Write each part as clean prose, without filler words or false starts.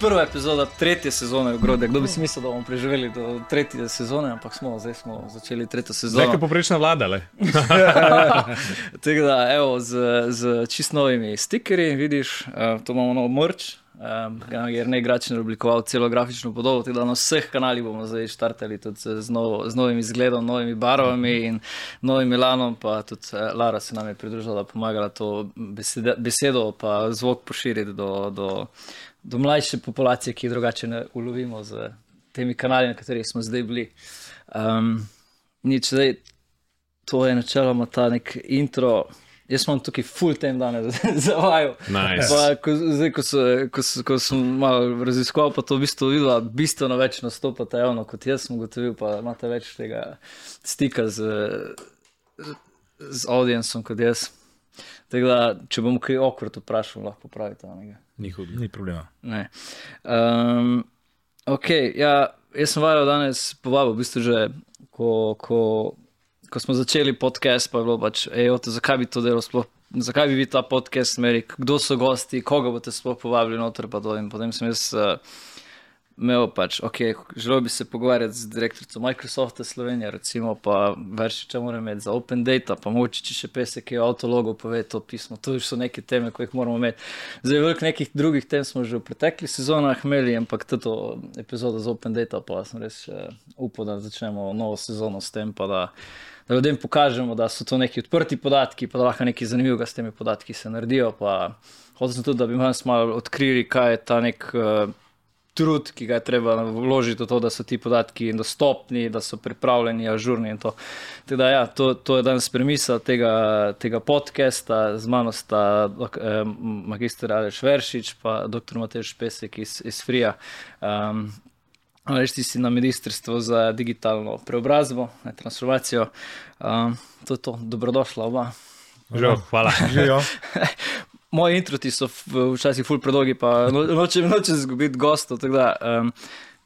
prva epizoda 3. sezone Ogrode. Kdo bi si mislil, da bomo preživeli do 3. sezone, ampak zdaj smo začeli 3. sezono. Zdaj je poprečna vlada, le. Tako da, evo, z čist novimi stikerji, vidiš, to imamo nov merch, jer ne Gračner oblikoval celo grafično podobo, tako da na vseh kanalih bomo zdaj štartali tudi z novim izgledom, novimi barvami in novim elanom, pa tudi Lara se nam je pridružila, pomagala to besedo pa zvok poširiti do mlajše populacije, ki drugače ne ulovimo z temi kanali, na katerih smo zdaj bili. Nič, zdaj, to je načeloma ta nek intro. Jaz imam tukaj full time danes za vaju. Nice. Ko sem malo raziskoval, pa to v bistvu videla, bistveno več nastopate javno, kot jaz sem ugotovil, pa imate več tega stika z audiencem kot jaz. Tako da, če bom kaj awkward vprašal, lahko popravite. Ni problema. Ne. Ok, ja, jaz sem vaju danes povabil, v bistvu že, ko smo začeli podcast, pa je bilo pač, zakaj bi to delo sploh, zakaj bi ta podcast imeli, kdo so gosti, koga boste sploh povabili noter, pa to in potem sem jaz imel pač, želel bi se pogovarjati z direktorico Microsofta Slovenija, recimo, pa Veršiča moram imeti za Open Data, pa mogoče če še pesek je avtologo pove to pismo, to so neke teme, ko jih moramo imeti. Zdaj, veliko nekih drugih tem smo že v preteklih sezonah imeli, ampak to epizodo za Open Data, pa sem res upal, da začnemo novo sezono s tem, pa da ljudem pokažemo, da so to neki odprti podatki, pa da lahko nekaj zanimivega s temi podatki se naredijo, pa hotel sem tudi, da bi malo odkrili, kaj je ta nek trud, ki ga je treba vložiti v to, da so ti podatki dostopni, da so pripravljeni, ažurni in to. Tako da ja, to je danes premisa tega podcasta, z mano sta magister Aleš Veršič, pa dr. Matej Špesek iz Frija. Aleš, ti si na Ministrstvu za digitalno preobrazbo, transformacijo. To je to, dobrodošla oba. Živijo, hvala. Živijo. Moji introti so včasih ful predolgi, pa nočem zgubiti gostov, tako da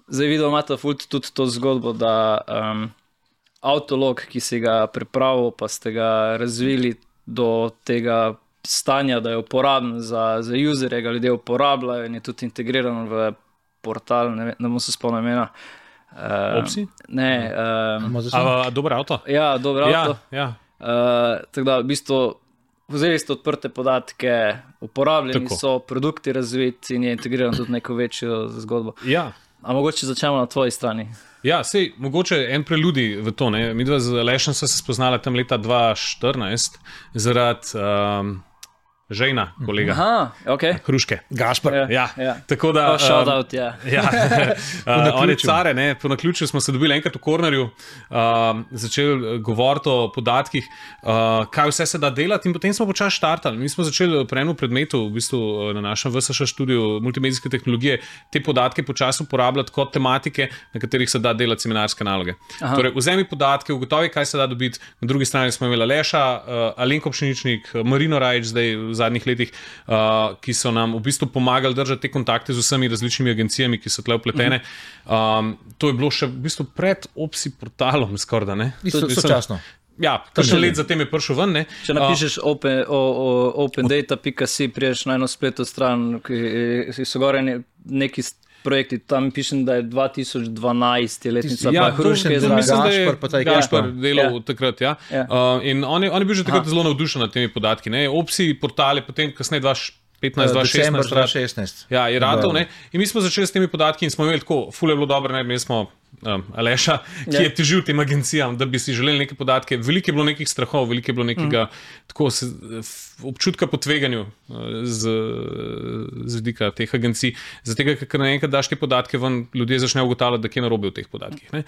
zdaj videl imate ful tudi to zgodbo, da avtolog, ki si ga pripravil, pa ste ga razvili do tega stanja, da je uporaben za userje, ga ljudje uporabljajo in je tudi integriran v portal, ne bom se spomnil imena. Opsi? Ne. Dober avto? Ja, dober avto. Ja. Tako da v bistvu vzeli ste odprte podatke, uporabljeni so, produkti razviti in je integriran tudi neko večjo zgodbo. Ja. A mogoče začnemo na tvoji strani? Ja, sej, mogoče en preludi v to, ne. Midva z Alešem sva se spoznala tam leta 2014 zaradi žejna, kolega. Aha, ok. Hruške. Gašper. Ja. Tako da... shout out, ja. On je care, ne, po naključju smo se dobili enkrat v kornerju, začeli govoriti o podatkih, kaj vse se da delati in potem smo počasi štartali. Mi smo začeli pri enem predmetu, v bistvu na našem VSŠ študiju multimedijske tehnologije, te podatke počasi uporabljati kot tematike, na katerih se da delati seminarske naloge. Aha. Torej, vzemi podatke, ugotovi, kaj se da dobiti. Na drugi strani smo imeli Aleša, Alenko Pšeničnik, Marino Rajič, zdaj v zadnjih letih, ki so nam v bistvu pomagali držati te kontakte z vsemi različnimi agencijami, ki so tle vpletene. To je bilo še v bistvu pred Opsi portalom skorda, ne? Sočasno. Ja, kakšen let zatem je prišel ven, ne? Če napišeš opendata.si, priješ na eno spletno stran, ki so gore neki projekti, tam pišem, da je 2012 je letnica, pa Hruške zraven. Mislim, da je Gašper delal takrat, ja. In on je bil že takrat zelo navdušen nad temi podatki, ne. Opsi portal je potem kasneje 2015-2016. Ja, je ratov, ne. In mi smo začeli s temi podatki in smo imeli tako, ful je bilo dobro, ne, mi smo Aleša, ki je težil tem agencijam, da bi si želeli neke podatke. Veliko je bilo nekih strahov, veliko je bilo nekega občutka po tveganju z vidika teh agencij. Zato, ker naenkrat daš te podatke ven, ljudje začnejo ugotavljati, da kje narobe v teh podatkih. Ne.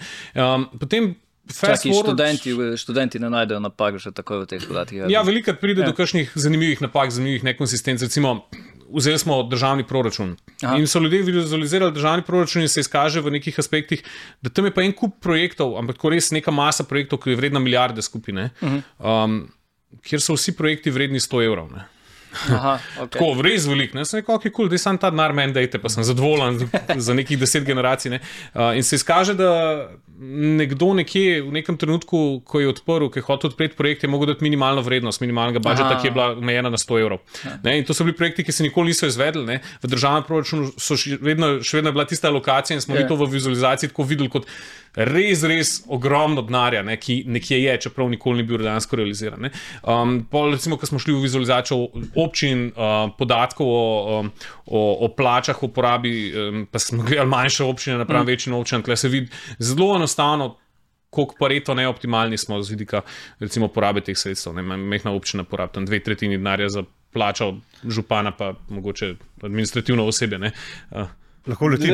Potem študenti ne najdejo napak že takoj v teh podatkih. Ja, velikrat pride do kakšnih zanimivih napak, zanimivih nekonsistenc. Recimo, vzeli smo državni proračun. Aha. In so ljudje vizualizirali državni proračun in se izkaže v nekih aspektih, da tam je pa en kup projektov, ampak tako res neka masa projektov, ki je vredna milijarde skupine, kjer so vsi projekti vredni 100 evrov. Ne. Aha, okay. Tako, res velik, ne, sem rekel, ok, cool, da sam ta denar meni dajte, pa sem zadovoljen za nekih 10 generacij, ne. In se izkaže, da nekdo nekje v nekem trenutku, ko je odprl, ki je hotel odpreti projekt, je mogel dati minimalno vrednost, minimalnega budžeta, ki je bila omejena na 100 evrov. Ne, in to so bili projekti, ki se nikoli niso izvedli, ne. V državnem proračunu so še vedno bila tista lokacija in smo mi to v vizualizaciji tako videli kot res ogromno denarja, ne, ki nekje je, čeprav nikoli ni bil dejansko realiziran. Ne. Recimo, ko smo šli v vizualizacijo občin, podatkov o plačah, o porabi, pa smo gledali manjše občine napram večjim občinam, tukaj se vidi zelo enostavno, koliko pareto neoptimalni smo z vidika recimo porabe teh sredstev. Mehna občina porabi tam 2/3 denarja za plačo župana, pa mogoče administrativno osebje. Ne. Lahko leti.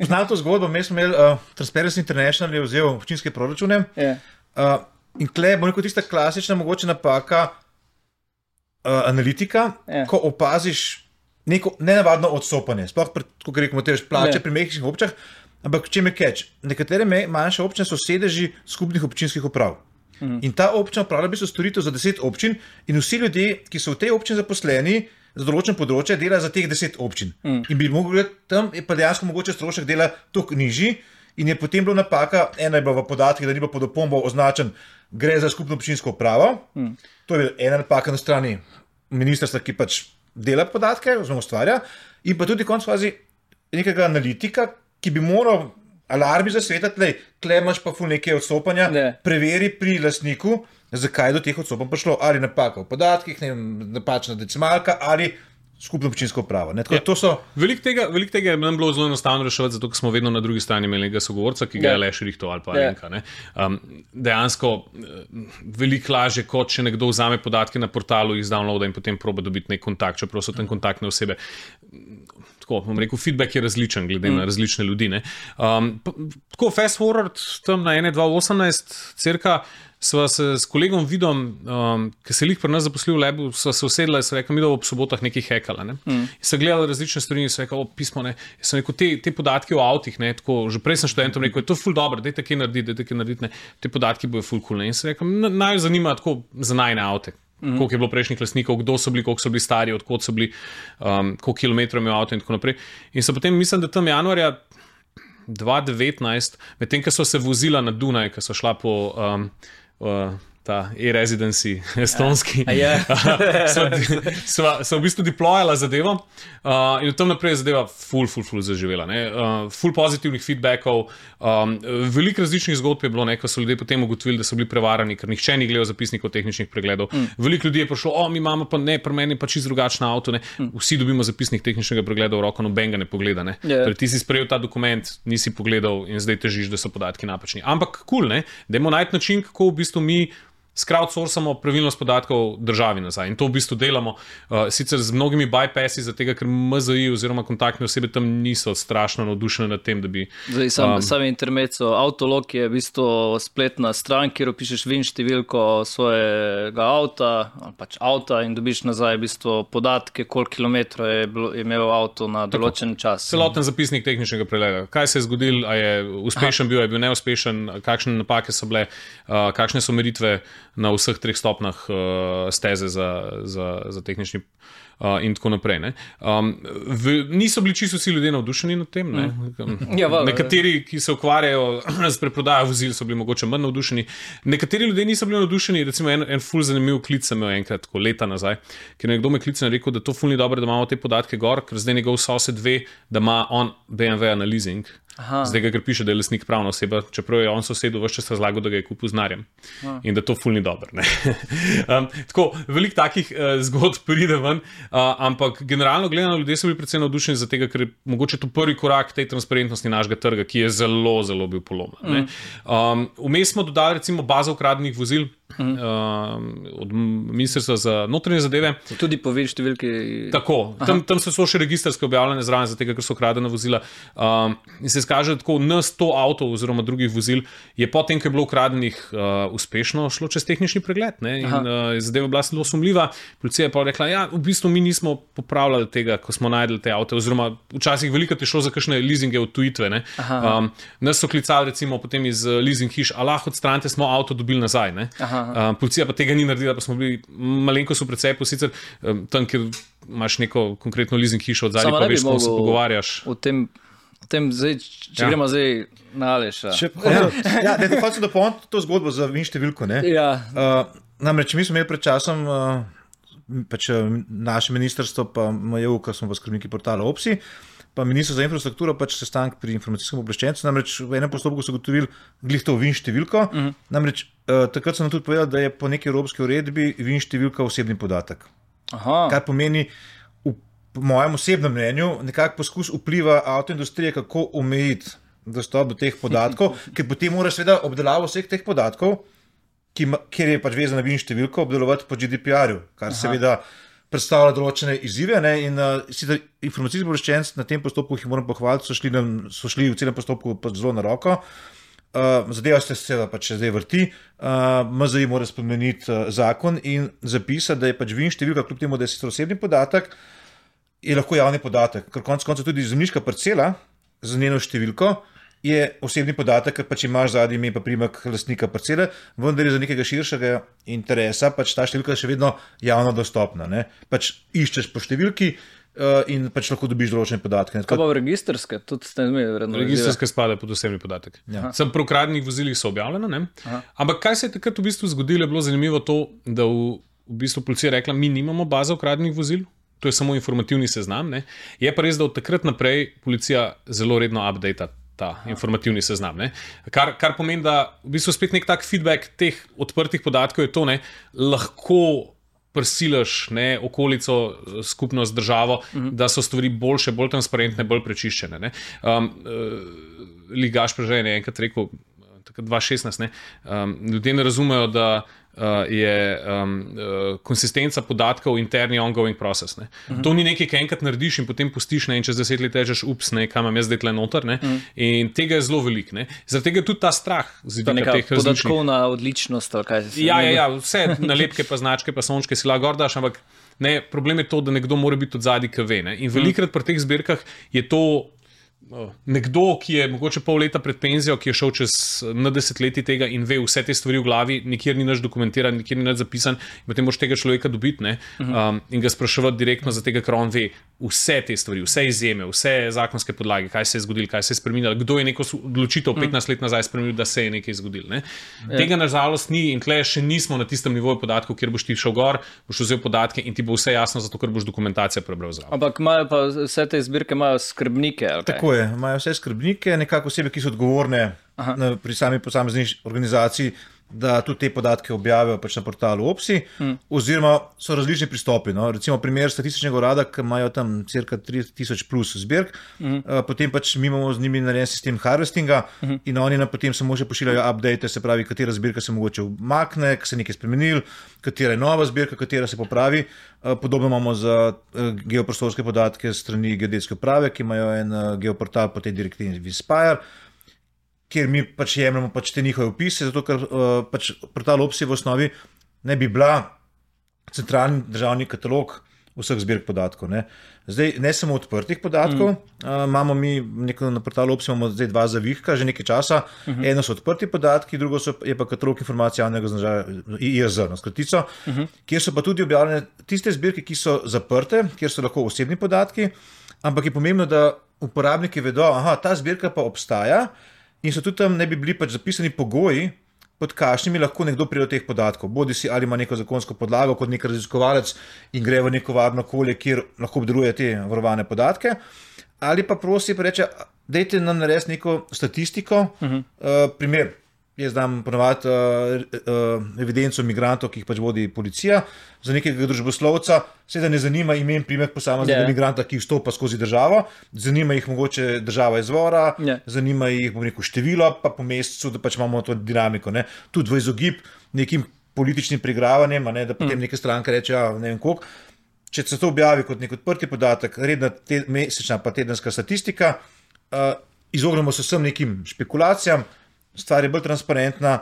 Poznam to zgodbo, mi smo imeli Transparency International je vzel občinske proračune in tle bo neko tista klasična mogoče napaka analitika, ko opaziš neko nenavadno odstopanje. Sploh, kot rekomo, te plače pri mehkih občinah, ampak čem je catch? Nekatere manjše občine so sedeži skupnih občinskih uprav. In ta občina upravlja v bistvu storitev za 10 občin in vsi ljudje, ki so v tej občini zaposleni, za določen področje dela za teh 10 občin. In bi mogli gledati, tam je pa dejansko mogoče strošek dela toliko nižji in je potem bila napaka, ena je bila v podatkih, da ni bilo pod opombo označen, gre za skupno občinsko upravo. To je ena napaka na strani ministrstva, ki pač dela podatke, oziroma ustvarja, in pa tudi konec fazi nekega analitika, ki bi moral alarmi zasvetati, tle imaš pa ful neke odstopanja, preveri pri lastniku, zakaj je do teh odstopanj prišlo, ali napaka v podatkih, napačna decimalka, ali skupno občinsko upravo. Veliko tega je nam bilo zelo enostavno reševati, zato ker smo vedno na drugi strani imeli nekega sogovorca, ki ga je le širihto ali pa Alenka. Dejansko veliko lažje, kot če nekdo vzame podatke na portalu, jih downloada in potem proba dobiti nek kontakt, čeprav so tam kontaktne osebe. Tako, bom rekel, feedback je različen, glede na različne ljudi. Tako, fast forward, tam na 1.2.18, cirka, sva se s kolegom Vidom, ki se je lih pri nas zaposlil v Lebu, sva se usedla in sva rekla, mi da ob sobotah nekaj hekala. In sva gledala različne stvari in sva rekla, pismo, ne. In sva rekel, te podatke o avtih, ne, tako, že prej sem študentom rekel, to je ful dobro, dajte kaj narediti, ne. Te podatki bojo ful cool, ne. In sva rekla, naj zanima tako za najne avte. Koliko je bilo prejšnjih lastnikov, kdo so bili, koliko so bili stari, odkot so bili, koliko kilometrov imel avto in tako naprej. In so potem, mislim, da tam januarja 2019, medtem, ko so se vozila na Dunaj, ko so šla po ta e-residency estonski, so v bistvu deployala zadevo in od tam naprej je zadeva ful zaživela. Ful pozitivnih feedbackov, veliko različnih zgodb je bilo, ko so ljudje potem ugotovili, da so bili prevarani, ker nihče ni gledal zapisnikov tehničnih pregledov. Veliko ljudi je prišlo, mi imamo pa ne, pri meni pa čisto drugačno avto, ne. Vsi dobimo zapisnik tehničnega pregleda v roko, noben ga ne pogleda. Ne. Torej, ti si sprejel ta dokument, nisi pogledal in zdaj težiš, da so podatki napačni. Ampak cool, ne, dajmo najti način, kako v bistvu mi crowdsourcamo pravilnost podatkov državi nazaj. In to v bistvu delamo sicer z mnogimi bypassi, zato ker MZI oziroma kontaktne osebe tam niso strašno navdušene nad tem, da bi... Sami intermezzo, Autolog je v bistvu spletna stran, kjer pišeš VIN številko svojega avta, pač avta in dobiš nazaj v bistvu podatke, koliko kilometrov je imel avto na določen čas. Celoten zapisnik tehničnega pregleda. Kaj se je zgodil, a je uspešen bil, je bil neuspešen, kakšne napake so bile, kakšne so meritve na vseh 3 stopnjah steze za tehnični in tako naprej. Ne. Niso bili čisto vsi ljudje navdušeni nad tem. Ne. Nekateri, ki se ukvarjajo s preprodajo vozil, so bili mogoče manj navdušeni. Nekateri ljudje niso bili navdušeni, recimo en ful zanimiv klic sem imel enkrat, tako leta nazaj, ker nekdo me klical in rekel, da to ful ni dobro, da imamo te podatke gor, ker zdaj njegov sosed ve, da ima on BMW na leasing. Zdaj ga, ker piše, da je lastnik pravna oseba, čeprav je on sosedu ves čas razlagal, da ga je kupil z denarjem in da to ful ni dobro. Tako, veliko takih zgodb pride ven, ampak generalno gledano ljudje so bili predvsem navdušeni za tega, ker je mogoče to prvi korak tej transparentnosti našega trga, ki je zelo bil polomljen. Vmes smo dodali recimo bazo ukradenih vozil od Ministrstva za notranje zadeve. Tudi po vir številki. Tako, tam so še registrske objavljene zraven, zato ker so ukradena vozila. In se izkaže, da tako N100 avtov oziroma drugih vozil je potem, ko je bilo ukradenih, uspešno šlo čez tehnični pregled. Ne? In zadeva bila zelo sumljiva. Policija je pa rekla, ja, v bistvu mi nismo popravljali tega, ko smo najdeli te avte, oziroma včasih veliko je šlo za kakšne leasinge od tujitve. Nas so klicali recimo potem iz leasing hiš, a lahko odstranite, smo avto dobili nazaj. Ne? Policija pa tega ni naredila, pa smo bili malenkost v precepu, sicer tam, kjer imaš neko konkretno leasing hišo od zadnje, pa veš, kako se pogovarjaš. V tem zdaj, če gremo zdaj na Aleša. Hočem dopolniti to zgodbo za VIN številko. Namreč mi smo imeli pred časom naše ministrstvo, pa MJU, ko smo pa skrbniki portala OPSI, pa minister za infrastrukturo sestanek pri informacijskem obveščencu, namreč v enem postopku so ugotovili glih to VIN številko, namreč takrat so nam tudi povedali, da je po neki evropski uredbi VIN številka osebni podatek. Kar pomeni, po mojem osebnem mnenju, nekako poskus vpliva avtoindustrije, kako omejiti dostop do teh podatkov, ker potem moraš seveda obdelavo vseh teh podatkov, kjer je vezana VIN številko, obdelovati po GDPR-ju, kar seveda predstavlja določene izzive. In informacijski obveščenci na tem postopku, ki jih moram pohvaliti, so šli v celem postopku zelo na roko. Zadeva se seveda zdaj vrti. MZI mora spremeniti zakon in zapisati, da je VIN številka, kljub temu, da je sicer osebni podatek, je lahko javni podatek, ker konec koncev tudi zemljiška parcela z njeno številko je osebni podatek, ker imaš zadnji ime pa priimek lastnika parcele, vendar je za nekega širšega interesa ta številka še vedno javno dostopna. Iščeš po številki in lahko dobiš določene podatke. Kaj pa v registrske? Tudi ste imeli vredno. Registrske spadajo pod osebni podatek. Sem pri ukradnih vozilih so objavljena, ne? Ampak kaj se je takrat v bistvu zgodilo, je bilo zanimivo to, da v bistvu policija rekla, mi nimamo baze ukradnih vozil. To je samo informativni seznam. Ne? Je pa res, da od takrat naprej policija zelo redno updata ta informativni seznam. Ne? Kar pomeni, da v bistvu spet nek tak feedback teh odprtih podatkov je to, ne? Lahko prisilaš okolico, skupnost, državo, da so stvari boljše, bolj transparentne, bolj prečiščene. Ligaš Prežej je enkrat rekel, 2016, ljudje ne razumejo, da je konsistenca podatkov interni ongoing process. To ni nekaj, kar enkrat narediš in potem pustiš in čez 10 let rečeš, kaj imam jaz zdaj tle noter. In tega je zelo veliko. Zaradi tega je tudi ta strah z vidika teh različnih. Podatkovna odličnost. Ja, vse nalepke pa značke pa sončke si lahko gordaš, ampak problem je to, da nekdo mora biti od zadaj, ki ve. In velikrat pri teh zbirkah je to nekdo, ki je mogoče pol leta pred penzijo, ki je šel čez desetletji tega in ve vse te stvari v glavi, nikjer ni nič dokumentiran, nikjer ni nič zapisan, in potem moraš tega človeka dobiti in ga spraševati direktno za tega, ker on ve vse te stvari, vse izjeme, vse zakonske podlage, kaj se je zgodilo, kaj se je spremenilo, kdo je neko odločitev 15 let nazaj spremenil, da se je nekaj zgodilo. Tega nažalost ni in tle še nismo na tistem nivoju podatkov, kjer boš ti šel gor, boš vzel podatke in ti bo vse jasno, zato ker boš dokumentacijo prebral zraven. Ampak imajo pa vse te zbirke imajo skrbnike. Tako je, imajo vse skrbnike, nekako osebe, ki so odgovorne pri sami posamezni organizaciji, da tudi te podatke objavijo na portalu OPSI, oziroma so različni pristopi. Recimo primer statističnega urada, ki imajo tam cirka 3000 plus zbirk, potem mi imamo z njimi narejen sistem harvestinga in oni nam potem samo še pošiljajo update, se pravi, katera zbirka se mogoče umakne, kaj se je nekaj spremenil, katera je nova zbirka, katera se popravi. Podobno imamo za geoprostorske podatke strani geodetske uprave, ki imajo en geoportal po tej direktivi Vispire, kjer mi jemljamo te njihove opise, zato ker portal OPSI v osnovi ne bi bila centralni državni katalog vseh zbirk podatkov. Zdaj, ne samo odprtih podatkov, imamo mi na portalu OPSI imamo zdaj dva zavihka, že nekaj časa. Eno so odprti podatki, drugo je pa katalog informacij javnega značaja, IIZ, na skratico, kjer so pa tudi objavljene tiste zbirke, ki so zaprte, kjer so lahko osebni podatki, ampak je pomembno, da uporabniki vedo, ta zbirka pa obstaja, in so tudi tam ne bi bili zapisani pogoji, pod kakšnimi lahko nekdo pride do teh podatkov. Bodi si ali ima neko zakonsko podlago kot nek raziskovalec in gre v neko varno okolje, kjer lahko obdeluje te varovane podatke, ali pa prosi pa reče, dajte nam narediti neko statistiko, primer. Jaz dam ponovati evidenco migrantov, ki jih vodi policija, za nekega družboslovca, seveda ne zanima ime in priimek posameznega migranta, ki vstopa skozi državo, zanima jih mogoče država izvora, zanima jih število, pa po mesecu, da imamo to dinamiko. Tudi v izogib nekim političnim preigravanjem, da potem neka stranka reče, ne vem koliko. Če se to objavi kot nek odprti podatek, redna mesečna pa tedenska statistika, izognemo se vsem nekim špekulacijam, stvar je bolj transparentna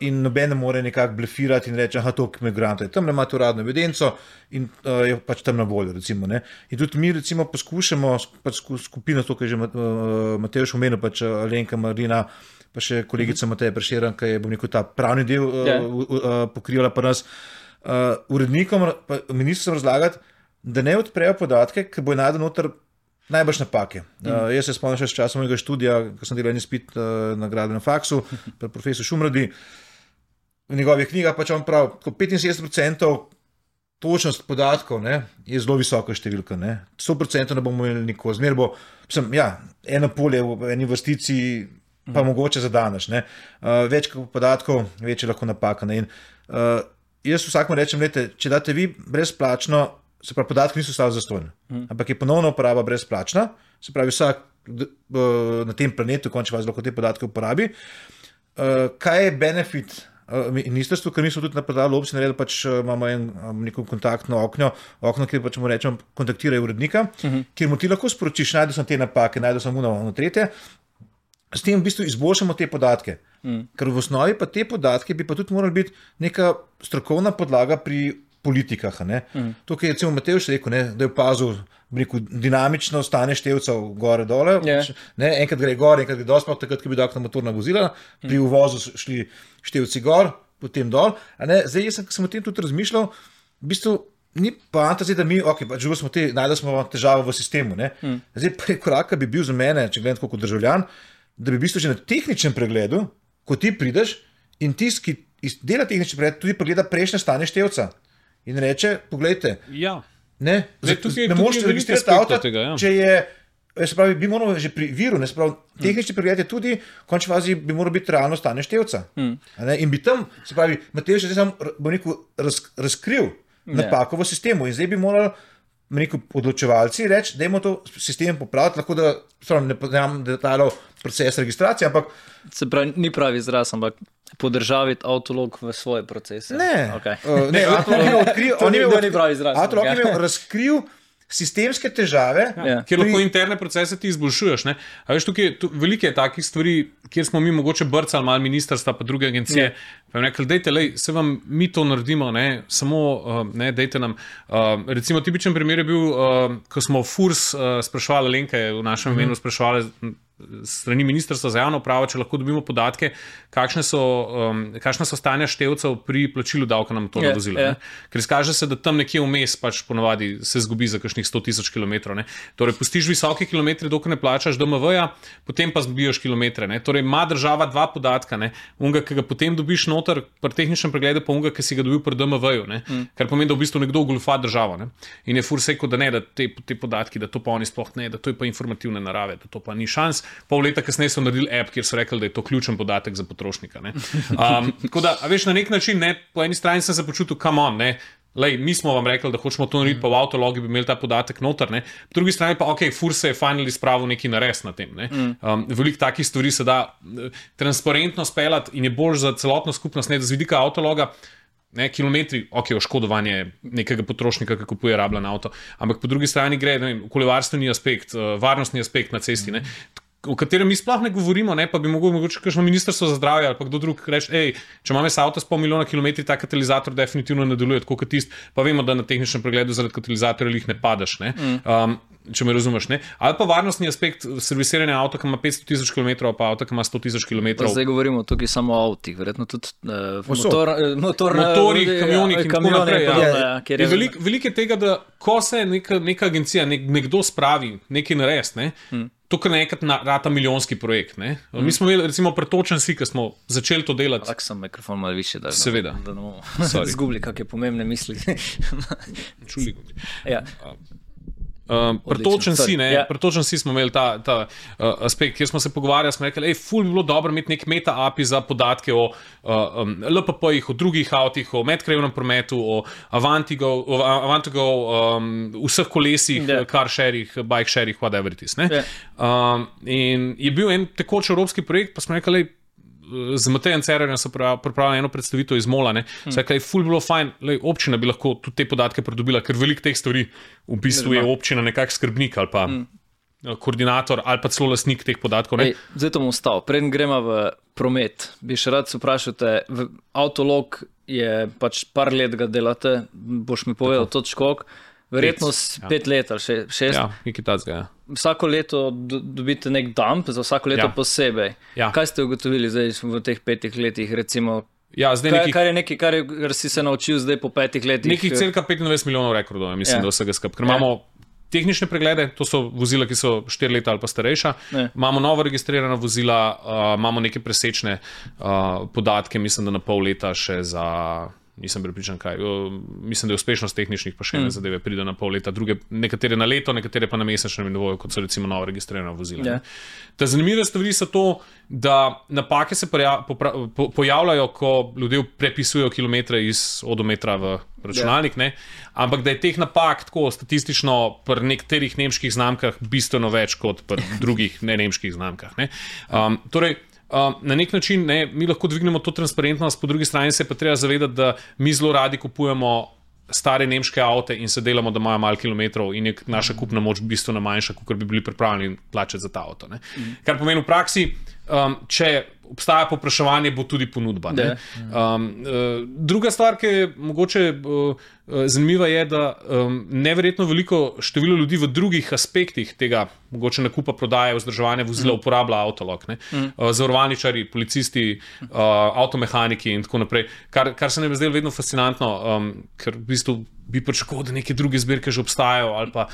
in noben ne more nekako blefirati in reči, toliko migrantov je tam, imate uradno evidenco in je tam na voljo. In tudi mi poskušamo skupino, to, kar je že Matevž omenil, Alenka, Marina, pa še kolegica Mateja Prešeren, ki je, bom rekel, ta pravni del pokrivala pa nas. Urednikom, pa ministrstvom razlagati, da ne odprejo podatke, ker bo najdel noter najbrž napake. Jaz se spomnim še s časom mojega študija, ko sem delal en izpit na gradbenem faksu, pa profesor Šumradi, v njegovih knjigah pač on pravi, ko 75% točnost podatkov, ne, je zelo visoka številka. Ne. 100% ne bomo imeli nikoli. Zmer bo, eno polje v eni vrstici, pa mogoče za danes. Ne. Več podatkov, več je lahko napaka. Ne. In, jaz vsakmu rečem, lete, če date vi brezplačno, se pravi, podatki niso stali zastonj, ampak je ponovno uporaba brezplačna, se pravi, vsak na tem planetu končno lahko te podatke uporabi. Kaj je benefit ministrstvu, ker mi smo tudi na portalu občine naredili, pač imamo neko kontaktno okno, kjer pač mu rečemo, kontaktiraj urednika, kjer mu ti lahko sporočiš, najdu sem te napake, najdu sem ono tretje, s tem v bistvu izboljšamo te podatke. Ker v osnovi pa te podatke bi pa tudi morali biti neka strokovna podlaga pri politikah. To, kar je recimo Matej še rekel, da je opazil dinamično stanje števcev gore-dole. Enkrat gre gor, enkrat gre dol, sploh takrat, ko bi dal motorna vozila, pri uvozu šli števci gor, potem dol. Zdaj, jaz sem o tem tudi razmišljal, v bistvu ni poanta zdaj, da mi, najdel smo težavo v sistemu. Zdaj, prvi korak bi bil za mene, če gledam kot državljan, da bi v bistvu že na tehničnem pregledu, ko ti prideš in tisti, ki dela tehnični pregled, tudi pregleda prejšnje stanje števca. In reče, poglejte, ne moreš registrirati avta, če je, se pravi, bi moral že pri viru, tehnični pregled je tudi, v končni fazi bi moral biti realno stanje števca. In bi tam, se pravi, Matej še zdaj razkril napako v sistemu in zdaj bi moral odločevalci reči, dajmo to sistem popraviti, lahko da ne poznam detajlov proces registracije, ampak se pravi, ni pravi izraz, ampak podržaviti avtolog v svoje procese. Ne, avtolog je imel razkril sistemske težave, kjer lahko interne procese ti izboljšuješ. A veš, tukaj veliko je takih stvari, kjer smo mi mogoče brcali malo ministrstva pa druge agencije, pa jim rekli, dejte, se vam mi to naredimo, samo dejte nam. Recimo tipičen primer je bil, ko smo FURS spraševali, Lenka je v našem imenu spraševali strani ministrstva za javno upravo, če lahko dobimo podatke, kakšna so stanja števcev pri plačilu davka na motorna vozila. Ker izkaže se, da tam nekje vmes pač ponavadi se zgubi za kakšnih 100,000 kilometrov. Torej, pustiš visoke kilometre, dokler ne plačaš DMV-ja, potem pa zbijaš kilometre. Torej, ima država dva podatka, unga, ki ga potem dobiš noter pri tehničnem pregledu, pa unga, ki si ga dobil pri DMV-ju, kar pomeni, da v bistvu nekdo goljufa državo. In je FURS rekel, da ne, da te podatki, da to pa oni sploh ne, da to je pa informativne narave, da to pa ni šans. Pol leta kasneje so naredili app, kjer so rekli, da je to ključen podatek za potrošnika. Tako da, veš, na nek način, po eni strani sem se počutil, come on, mi smo vam rekli, da hočemo to narediti, pa v avtologi bi imeli ta podatek noter, po drugi strani pa, FURS se je finally spravil neki nares na tem. Veliko takih stvari se da transparentno speljati in je bolj za celotno skupnost, da z vidika avtologa, kilometri, oškodovanje nekega potrošnika, ki kupuje rabljen avto, ampak po drugi strani gre okoljevarstveni aspekt, varnostni aspekt na cesti, o katerem mi sploh ne govorimo, pa bi mogoče kakšno ministrstvo za zdravje ali pa kdo drug reči, če imam jaz avto s 500 milijona kilometri, ta katalizator definitivno ne deluje tako kot tisti, pa vemo, da na tehničnem pregledu zaradi katalizatorja jih ne padeš, če me razumeš, ali pa varnostni aspekt servisiranja avta, ki ima 500,000 km, pa avta, ki ima 100,000 km. Zdaj govorimo tukaj samo o avtih, verjetno tudi motorji, kamionih in tako naprej. Veliko je tega, da ko se neka agencija, nekdo spravi nekaj narediti, to, kar nekrat rata milijonski projekt. Mi smo imeli, recimo, pretočen si, ki smo začeli to delati. Tak sem mikrofon malo više, da seveda. Da ne bomo zgubili kakšne pomembne misli. Čuli. Pretočen si smo imeli ta aspekt, kjer smo se pogovarjali, smo rekli, ful bi bilo dobro imeti nek meta API za podatke o LPP-jih, o drugih avtih, o medkrajevnem prometu, o Avantigo, vseh kolesih, car sharih, bike sharih, whatever it is. In je bil en tekoč evropski projekt, pa smo rekli, z Matejem Cerarjem so pripravili eno predstavitev iz Mola, se je ful bilo fajn, občina bi lahko tudi te podatke pridobila, ker veliko teh stvari v bistvu je občina nekak skrbnik ali pa koordinator ali pa celo lastnik teh podatkov. Zdaj to bom ostal. Preden gremo v promet, bi še rad se vprašate, avtolog je pač par let ga delate, boš mi povedal točko, verjetno 5 let ali 6. Ja, nekaj takega. Vsako leto dobite nek dump, za vsako leto posebej. Ja. Kaj ste ugotovili zdaj v teh 5 letih, recimo? Ja, kar si se naučil zdaj po 5 letih? Nekih cirka 25 milijonov rekordov, mislim, da vsega skupaj. Ker imamo tehnične preglede, to so vozila, ki so 4 leta ali pa starejša. Imamo novo registrirana vozila, imamo neke presečne podatke, mislim, da na pol leta še za... Nisem prepričan kaj. Mislim, da je uspešnost tehničnih pa še ene zadeve pride na pol leta, druge, nekatere na leto, nekatere pa na mesečnem nivoju, kot so recimo novo registrirana vozila. Ta zanimive stvari so to, da napake se pojavljajo, ko ljudje prepisujejo kilometre iz odometra v računalnik, ampak da je teh napak tako statistično pri nekaterih nemških znamkah bistveno več kot pri drugih nemških znamkah. Torej, na nek način mi lahko dvignemo to transparentnost, po drugi strani se pa treba zavedati, da mi zelo radi kupujemo stare nemške avte in se delamo, da imajo malo kilometrov in je naša kupna moč bistveno manjša, kot bi bili pripravljeni plačati za ta avto. Kar pomeni v praksi, če obstaja povpraševanje, bo tudi ponudba. Druga stvar, ki je mogoče zanimiva, je, da neverjetno veliko število ljudi v drugih aspektih tega mogoče nakupa, prodaje, vzdrževanja vozila uporablja avtolog. Zavarovalničari, policisti, avtomehaniki in tako naprej. Kar se nam je zdelo vedno fascinantno, ker v bistvu bi pričakoval, da neke druge zbirke že obstajajo ali pa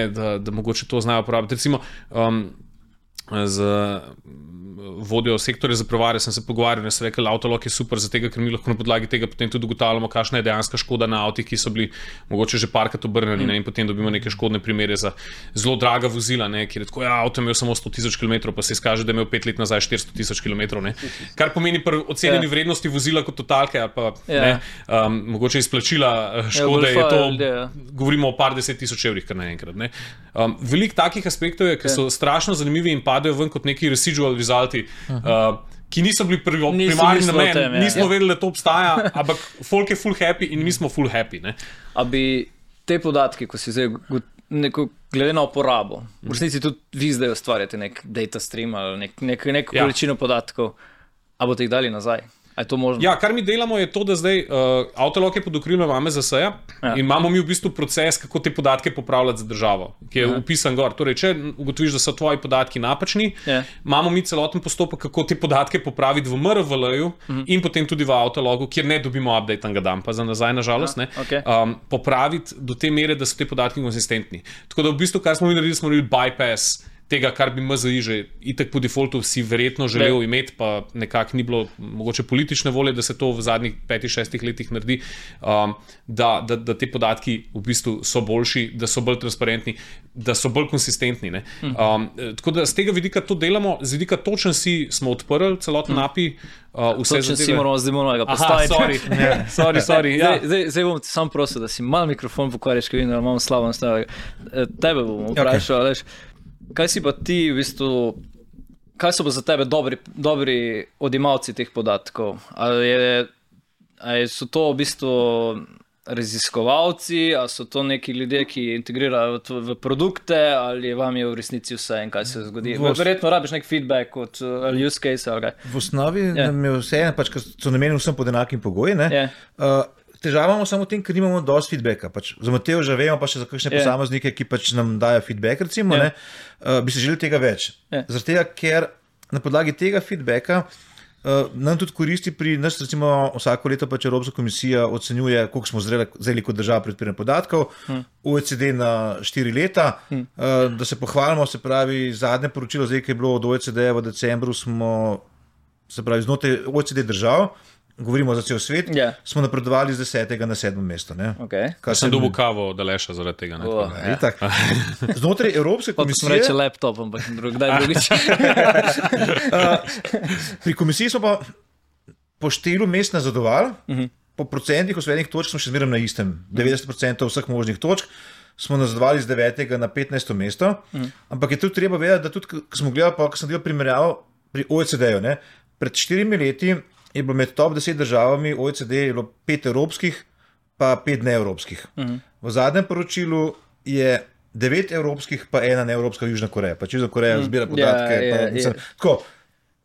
da mogoče to znajo uporabiti. Recimo z vodjo sektorja za prevare sem se pogovarjal in sem rekel, avtolog je super za tega, ker mi lahko na podlagi tega potem tudi ugotavljamo, kakšna je dejanska škoda na avtih, ki so bili mogoče že parkrat obrnjeni in potem dobimo neke škodne primere za zelo draga vozila, kjer je tako, avto je imel samo 100,000 km, pa se izkaže, da je imel 5 let nazaj 400,000 km. Kar pomeni pri ocenjeni vrednosti vozila kot totalke ali pa mogoče izplačila škode, je to, govorimo o par 10,000 evrih kar naenkrat. Veliko takih aspektov je, ki so strašno zanimivi in padajo ven kot neki residual resulti, ki niso bili primarni namen, nismo vedeli, da to obstaja, ampak folk je full happy in mi smo full happy. A bi te podatke, ko si zdaj glede na uporabo, v resnici tudi vi zdaj ustvarjate nek data stream ali neko količino podatkov, a boste jih dali nazaj? Je to možno? Ja, kar mi delamo je to, da zdaj avtolog je pod okriljem AMZS-ja in imamo mi v bistvu proces, kako te podatke popravljati za državo, ki je upisan gor. Torej, če ugotoviš, da so tvoji podatki napačni, imamo mi celoten postopek, kako te podatke popraviti v MRVL-ju in potem tudi v avtologu, kjer ne dobimo update-anga dumpa za nazaj, nažalost, popraviti do te mere, da so te podatki konsistentni. Tako da v bistvu, kar smo mi naredili, smo naredili bypass tega, kar bi MZI že itak po defaultu si verjetno želel imeti, pa nekako ni bilo mogoče politične volje, da se to v zadnjih 5-6 letih naredi, da te podatki v bistvu so boljši, da so bolj transparentni, da so bolj konsistentni. Tako da z tega vidika to delamo, z vidika točen si smo odprli celoten API. Točen si moramo zdaj novega postaviti. Sorry. Zdaj bom sam prosil, da si mal mikrofon pokvarjaš, ker vidim, da imamo slabo nastavljeno. Tebe bom vprašal, veš, kaj si pa ti v bistvu, kaj so pa za tebe dobri odjemalci teh podatkov? Ali so to v bistvu raziskovalci, ali so to neki ljudje, ki integrirajo v produkte, ali vam je v resnici vse in kaj se zgodi? Verjetno rabiš nek feedback ali use case ali kaj. V osnovi nam je vse, ker so namenjeni vsem pod enakim pogoji. Težava imamo samo v tem, ker nimamo dosti feedbacka. Za Matejo že vemo, pa še za kakšne posameznike, ki nam dajo feedback, recimo, bi se želeli tega več. Zaradi tega, ker na podlagi tega feedbacka nam tudi koristi pri nas, recimo vsako leto Evropska komisija ocenjuje, koliko smo zreli kot država pri odpiranju podatkov, OECD na 4 leta, da se pohvalimo, se pravi, zadnje poročilo, zdaj, ki je bilo od OECD v decembru, smo, se pravi, znotraj OECD držav, govorimo za cel svet, smo napredovali z 10. na 7. mesto. Sem dobil kavo od Aleša zaradi tega. Znotraj Evropske komisije... Smo reče laptop, ampak kdaj drugič. Pri komisiji smo pa po številu mest nazadovali, po procentih osvojenih točk smo še zmeraj na istem. 90% vseh možnih točk smo nazadovali z 9. na 15. mesto, ampak je tudi treba vedeti, da tudi, ko smo gledali, ko sem delal primerjavo pri OECD-ju, pred 4 leti je bilo med top 10 državami OECD je bilo 5 evropskih, pa 5 neevropskih. V zadnjem poročilu je 9 evropskih, pa 1 neevropska Južna Koreja. Pač Južna Koreja zbira podatke. Tako,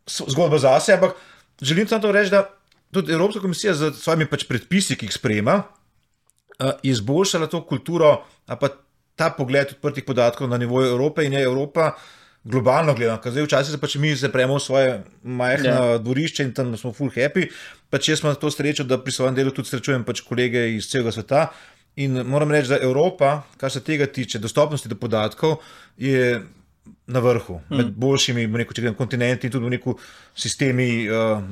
zgodba zase, ampak želim samo to reči, da tudi Evropska komisija z svojimi predpisi, ki jih sprejema, izboljšala to kulturo, pa ta pogled odprtih podatkov na nivoju Evrope in je Evropa globalno gledano. Zdaj včasih se pač mi zapremo v svoje majhno dvorišče in tam smo full happy. Pač jaz imam to srečo, da pri svojem delu tudi srečujem pač kolege iz celega sveta in moram reči, da Evropa, kar se tega tiče, dostopnosti do podatkov, je na vrhu, med boljšimi kontinenti in tudi v sistemi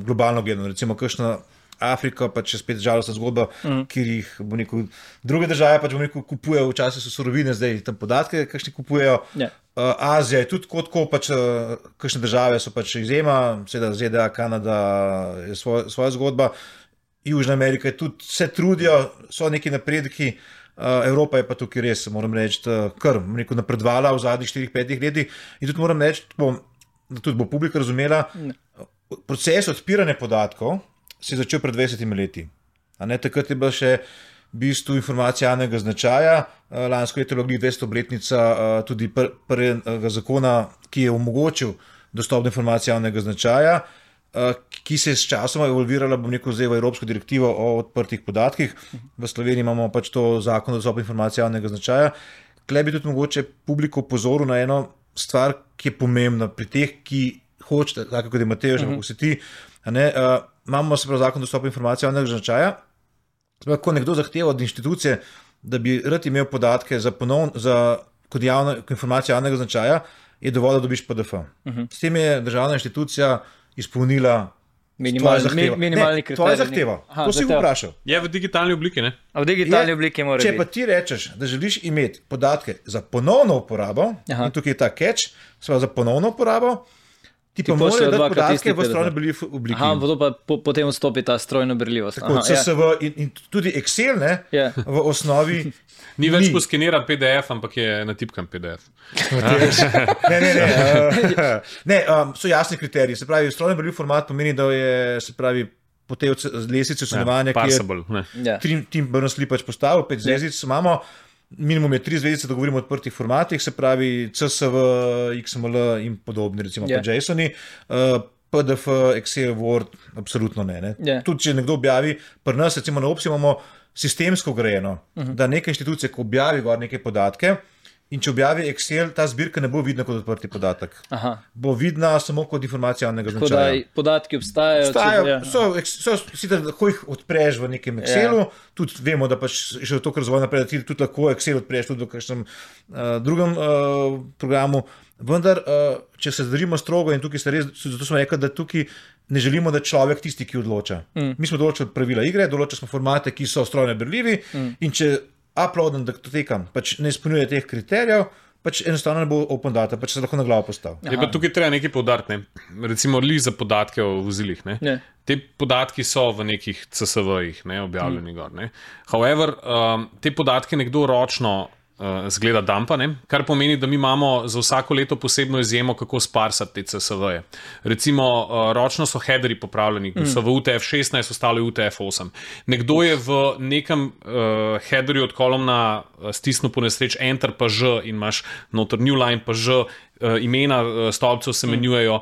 globalno gledano. Recimo kakšna Afrika, pa če spet žalostna zgodba, kjer jih druge države pač kupujejo, včasih so surovine, zdaj tam podatke, kakšni kupujejo. Azija je tudi tako, pač kakšne države so pač izjema, seveda ZDA, Kanada je svoja zgodba, Južna Amerika je tudi, se trudijo, so neki napredki, Evropa je pa tukaj res, moram reči, kar napredvala v zadnjih 4-5 letih in tudi moram reči, da tudi bo publika razumela, proces odpiranja podatkov se je začel pred 20 leti. Takrat je bila še v bistvu informacija javnega značaja, lansko leto je bila 200-obletnica tudi prvega zakona, ki je omogočil dostop do informacije javnega značaja, ki se je s časom evolvirala, zdaj v Evropsko direktivo o odprtih podatkih. V Sloveniji imamo pač to zakon o dostopu informacije javnega značaja. Tukaj bi tudi mogoče publiko opozoril na eno stvar, ki je pomembna pri teh, ki hočete, tako kot je Matej, že kako si ti, imamo se prav zakon o dostopu informacije javnega značaja. Ko nekdo zahteva od inštitucije, da bi rad imel podatke kot informacijo javnega značaja, je dovolj, da dobiš PDF. S tem je državna inštitucija izpolnila minimalni kriterij. To je zahteva. To si vprašal. Je v digitalni obliki, ne? V digitalni obliki mora biti. Če pa ti rečeš, da želiš imeti podatke za ponovno uporabo, in tukaj je ta catch, za ponovno uporabo, ti pa morajo dati podatke v strojno berljivi obliki. To pa potem vstopi ta strojno berljivost. Tako, CSV in tudi Excel, v osnovi ni več poskeniran PDF, ampak je natipkan PDF. Ne, so jasni kriteriji. Se pravi, strojno berljiv format pomeni, da je, se pravi, po tej lestvici ocenjevanja, ki je Tim Berners-Lee pač postavil, 5 zvezdic imamo. Minimum je 3 zvezdice, da govorimo o odprtih formatih, se pravi CSV, XML in podobni, recimo pa JSON-i, PDF, Excel, Word, absolutno ne. Tudi, če nekdo objavi, pri nas, recimo na Opsi imamo sistemsko grejeno, da neka inštitucija, ko objavi gor neke podatke in če objavi Excel, ta zbirka ne bo vidna kot odprti podatek. Bo vidna samo kot informacija javnega značaja. Tako da podatki obstajajo. Lahko jih odpreš v nekem Excelu, tudi vemo, da pač še to, kar razvoj naprej, da ti tudi lahko Excel odpreš tudi v kakšnem drugem programu. Vendar, če se držimo strogo in tukaj zato smo rekli, da tukaj ne želimo, da človek tisti, ki odloča. Mi smo določili pravila igre, določili smo formate, ki so strojno berljivi in če uploadem datotekam pač ne izpolnjuje teh kriterijev, pač enostavno ne bo open data, pač se lahko na glavo postavi. Je pa tukaj treba nekaj poudariti, recimo za podatke o vozilih. Te podatki so v nekih CSV-jih objavljeni gor. However, te podatke nekdo ročno zgleda dumpa, kar pomeni, da mi imamo za vsako leto posebno izjemo, kako sparsati te CSV-je. Recimo, ročno so headerji popravljeni, so v UTF-16, ostalo je UTF-8. Nekdo je v nekem headerju od kolumna stisnil po nesreč Enter pa Ž in imaš noter new line pa Ž, imena stolpcev se menjujejo.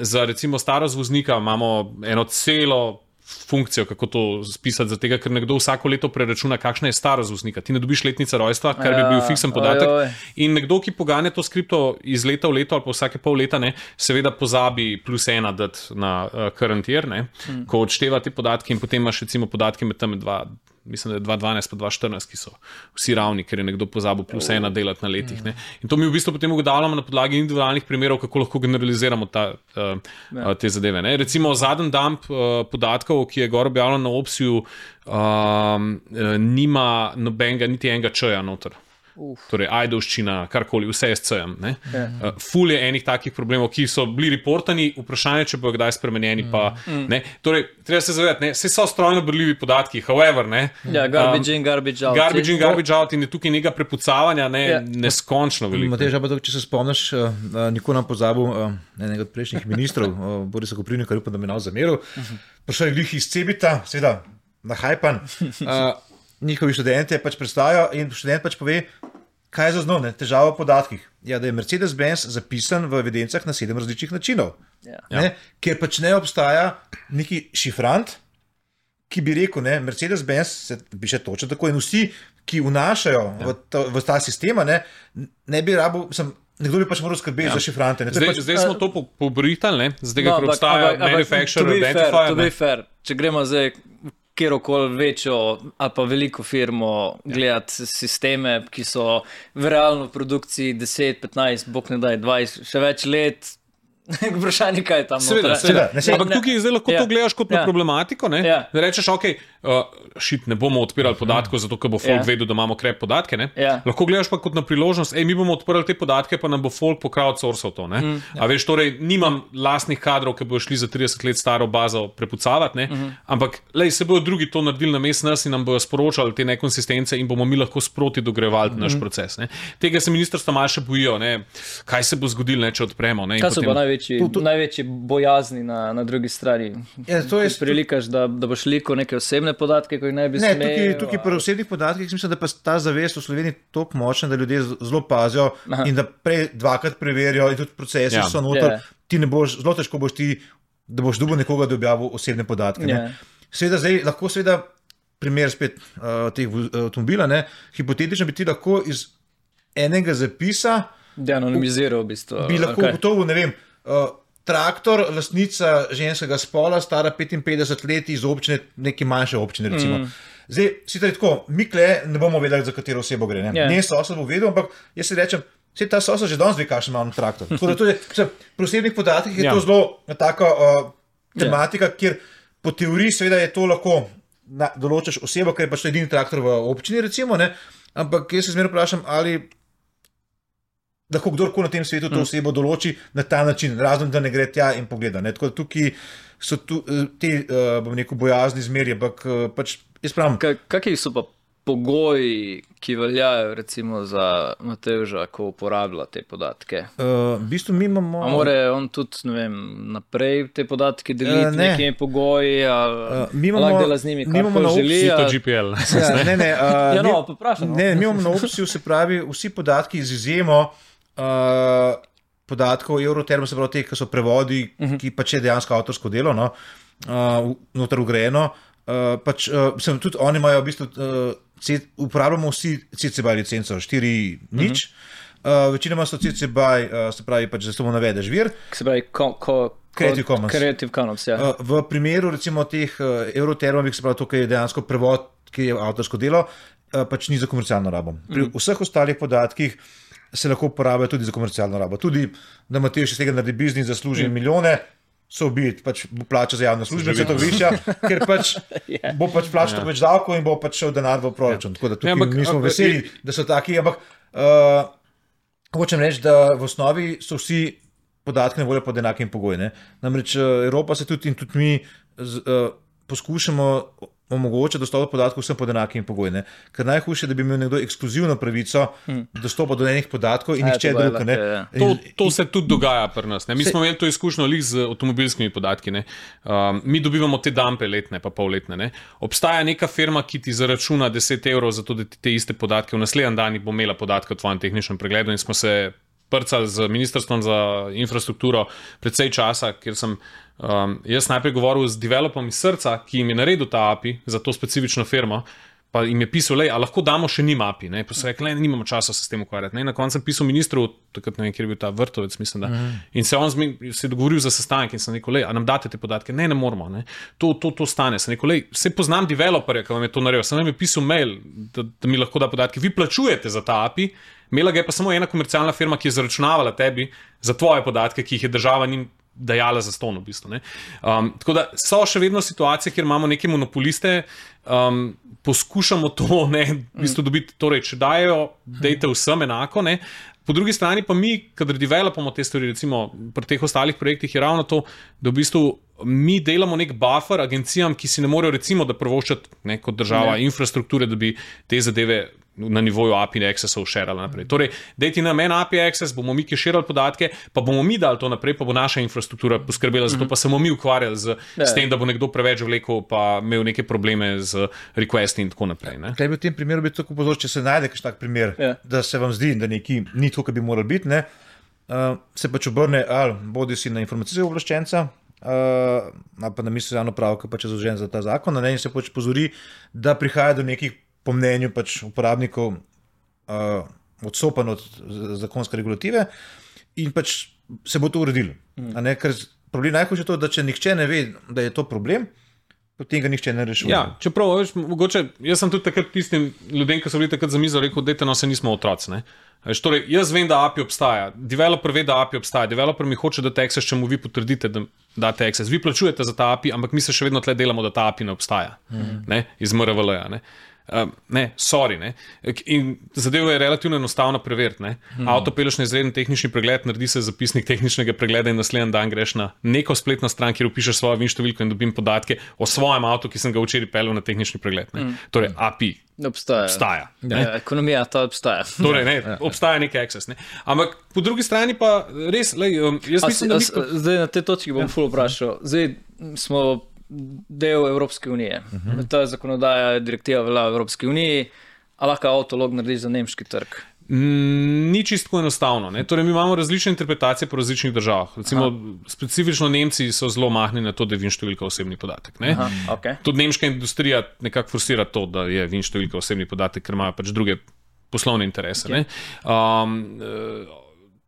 Za recimo starost voznika imamo eno celo funkcijo, kako to spisati, zato ker nekdo vsako leto preračuna, kakšna je starost voznika. Ti ne dobiš letnica rojstva, kar bi bil fiksen podatek. In nekdo, ki poganja to skripto iz leta v leto ali pa vsake pol leta, seveda pozabi +1 dati na current year, ko odšteva te podatke in potem imaš recimo podatke med tam mislim, da je 2012 pa 2014, ki so vsi ravni, ker je nekdo pozabil +1 delati na letih. In to mi v bistvu potem ugotavljamo na podlagi individualnih primerov, kako lahko generaliziramo te zadeve. Recimo zadnji dump podatkov, ki je gor objavljen na Opsiju, nima nobenega, niti enega č-ja noter. Torej, ajdovščina, karkoli, vse je s C-jem. Ful je enih takih problemov, ki so bili reportani, vprašanje, če bo kdaj spremenjeni. Torej, treba se zavedati, vse so strojno berljivi podatki, however. Garbage in, garbage out. Garbage in, garbage out in je tukaj nekaj prepucavanja, neskončno veliko. Matej, če se spomniš, nikoli nam pozabil enega od prejšnjih ministrov, Borisa Koprivnika, upam, da me nav zameril. Prišel je glih iz Cebita, seveda, nahajpan. Njihovi študenti pač predstavijo in študent pač pove, kaj je zaznal, težava v podatkih. Ja, da je Mercedes-Benz zapisan v evidencah na 7 različnih načinov. Ker pač ne obstaja neki šifrant, ki bi rekel, ne, Mercedes-Benz se piše točno tako in vsi, ki vnašajo v ta sistema, ne bi rabo, nekdo bi pač moral skrbeti za šifrante. Zdaj smo to pobritali, zdaj ker obstaja manufacturer identifier. To bi fair, če gremo zdaj kjerokoli večjo ali pa veliko firmo gledati sisteme, ki so v realno produkciji 10, 15, bog ne daj, 20, še več let. Vprašanje, kaj je tam. Seveda. Ampak tukaj zdaj lahko to gledaš kot na problematiko. Ne rečeš, ok, ne bomo odpirali podatkov, zato ker bo folk vedel, da imamo krep podatke. Lahko gledaš pa kot na priložnost, mi bomo odprli te podatke, pa nam bo folk po crowdsourcal to. A veš, torej, nimam lastnih kadrov, ki bodo šli za 30 let staro bazo prepucavati, ampak se bodo drugi to naredili namesto nas in nam bodo sporočali te nekonsistence in bomo mi lahko sproti dogrevali naš proces. Tega se ministrstva malo še bojijo, kaj se bo zgodilo, če odpremo. Največji bojazni na drugi strani. Prilikaš, da boš liko neke osebne podatke, ko jih ne bi smeli. Tukaj pri osebnih podatkih mislim, da pa ta zavest v Sloveniji toliko močna, da ljudje zelo pazijo in da dvakrat preverijo in tudi procesi so noter. Ti ne boš, zelo težko boš ti, da boš dobil nekoga, da objavi osebne podatke. Seveda zdaj lahko primer spet teh avtomobila, hipotetično bi ti lahko iz enega zapisa anonimiziral v bistvu. Bi lahko gotovo, ne vem, traktor, lastnica ženskega spola, stara 55 let iz občine, neke manjše občine, recimo. Zdaj, sicer tako, mi ne bomo vedeli, za katero osebo gre. Ne sosed bo vedel, ampak jaz si rečem, ta sosed že danes ve, kakšen ima on traktor. Tako da tudi pri osebnih podatkih je to zelo taka tematika, kjer po teoriji seveda je to lahko določaš osebo, ker je pač to edini traktor v občini, recimo, ampak jaz se zmeraj vprašam, ali lahko kdorkoli na tem svetu to osebo določi na ta način, razen da ne gre tja in pogleda. Tako da tukaj so te, bom rekel, bojazni zmerje, ampak pač jaz pravim. Kakšni so pa pogoji, ki veljajo recimo za Matevža, ko uporablja te podatke? V bistvu mi imamo... A more on tudi, ne vem, naprej te podatke deliti nekimi pogoji, ali lahko dela z njimi, kako želi? Si to GPL. Mi imamo na opciju, se pravi, vsi podatki z izjemo podatkov Euroterm, se pravi te, ki so prevodi, ki pač je dejansko avtorsko delo, noter ugrajeno. Tudi oni imajo v bistvu, uporabljamo vsi CC BY licenco 4.0. Večinoma so CC BY, se pravi, pač samo navedeš vir. Se pravi, Creative Commons, V primeru recimo teh Eurotermovih, se pravi, to, ki je dejansko prevod, ki je avtorsko delo, pač ni za komercialno rabo. Pri vseh ostalih podatkih se lahko uporabljajo tudi za komercialno rabo. Tudi, da Matevž iz tega naredi biznis, zasluži milijone, so biti, pač bo plača za javne službe, se to višja, ker pač bo pač plačal več davkov in bo pač šel denar v proračun. Tako da tukaj mi smo veseli, da so taki, ampak hočem reči, da v osnovi so vsi podatki na voljo pod enakim pogoji. Namreč Evropa se tudi in tudi mi poskušamo omogoča dostop do podatkov vsem pod enakimi pogoji. Ker najhujše je, da bi imel nekdo ekskluzivno pravico dostopa do enih podatkov in nihče drug. To se tudi dogaja pri nas. Mi smo imeli to izkušnjo z avtomobilskimi podatki. Mi dobivamo te dampe letne, pa polletne. Obstaja neka firma, ki ti zaračuna 10 evrov za to, da ti te iste podatke v naslednji dan bo imela podatke o tvojem tehničnem pregledu in smo se prcali z Ministrstvom za infrastrukturo precej časa, kjer sem jaz najprej govoril z developom iz srca, ki jim je naredil ta API za to specifično firmo, pa jim je pisal, a lahko damo še njim API. Pa so rekli, nimamo časa se s tem ukvarjati. Na koncu sem pisal ministru, takrat ne vem, kjer je bil ta Vrtovec, mislim, da. In se on se je dogovoril za sestanek in sem rekel, a nam date te podatke? Ne moramo. To stane. Sem rekel, se poznam developerja, ki vam je to naredil. Sem vam je pisal mail, da mi lahko da podatke. Vi plačujete za ta API, imela ga je pa samo ena komercialna firma, ki je zaračunavala tebi za tvoje podatke, ki jih je država njim dajala za ston, v bistvu. Tako da so še vedno situacije, kjer imamo neke monopoliste, poskušamo to v bistvu dobiti, torej, če dajo, dajte vsem enako, Po drugi strani pa mi, kadar developamo te stvari, recimo pri teh ostalih projektih, je ravno to, da v bistvu mi delamo nek buffer agencijam, ki si ne morejo recimo da prvoščati kot država infrastrukture, da bi te zadeve na nivoju API accessov šerali naprej. Torej, dajte nam en API access, bomo mi keširali podatke, pa bomo mi dali to naprej, pa bo naša infrastruktura poskrbela za to, pa se bomo mi ukvarjali s tem, da bo nekdo preveč vlekel, pa imel neke probleme z requesti in tako naprej. Kaj bi v tem primeru biti tako pozor, če se najde kakšen tak primer, da se vam zdi, da neki ni tako, kot bi moral biti, se pač obrne ali bodi si na informacijskega obveščenca, pa na misli javno pravo, ki pač je zadolžen za ta zakon, in se pač pozori, da prihaja do nekih, po mnenju pač uporabnikov, odstopanj od zakonske regulative in pač se bo to uredilo. Ker problem najhujše je to, da če nihče ne ve, da je to problem, potem ga nihče ne rešuje. Ja, čeprav, veš, mogoče, jaz sem tudi takrat tistim ljudem, ki so bili takrat za mizo, rekel, dajte, no, se nismo otroci, ne. Torej, jaz vem, da API obstaja, developer ve, da API obstaja, developer mi hoče dati access, če mu vi potrdite, da date access. Vi plačujete za ta API, ampak mi se še vedno tle delamo, da ta API ne obstaja, ne, iz MRVL-ja, ne. Sorry, ne. In zadevo je relativno enostavno preveriti, ne. Avto peleš na izreden tehnični pregled, naredi se zapisnik tehničnega pregleda in naslednji dan greš na neko spletno stran, kjer vpišeš svojo VIN številko in dobim podatke o svojem avtu, ki sem ga včeraj peljal na tehnični pregled, ne. Torej, API obstaja. Ekonomija ta obstaja. Torej, ne, obstaja neki access, ne. Ampak po drugi strani pa res, jaz mislim, da zdaj na tej točki bom ful vprašal. Zdaj smo del Evropske unije. Ta zakonodaja, direktiva velja v Evropski uniji, a lahko avtolog narediš za nemški trg? Ni čisto enostavno. Ne? Torej, mi imamo različne interpretacije po različnih državah. Recimo, specifično Nemci so zelo mahni na to, da je VIN številka osebni podatek. Ne? Tudi nemška industrija nekako forsira to, da je VIN številka osebni podatek, ker imajo pač druge poslovne interese. Ne?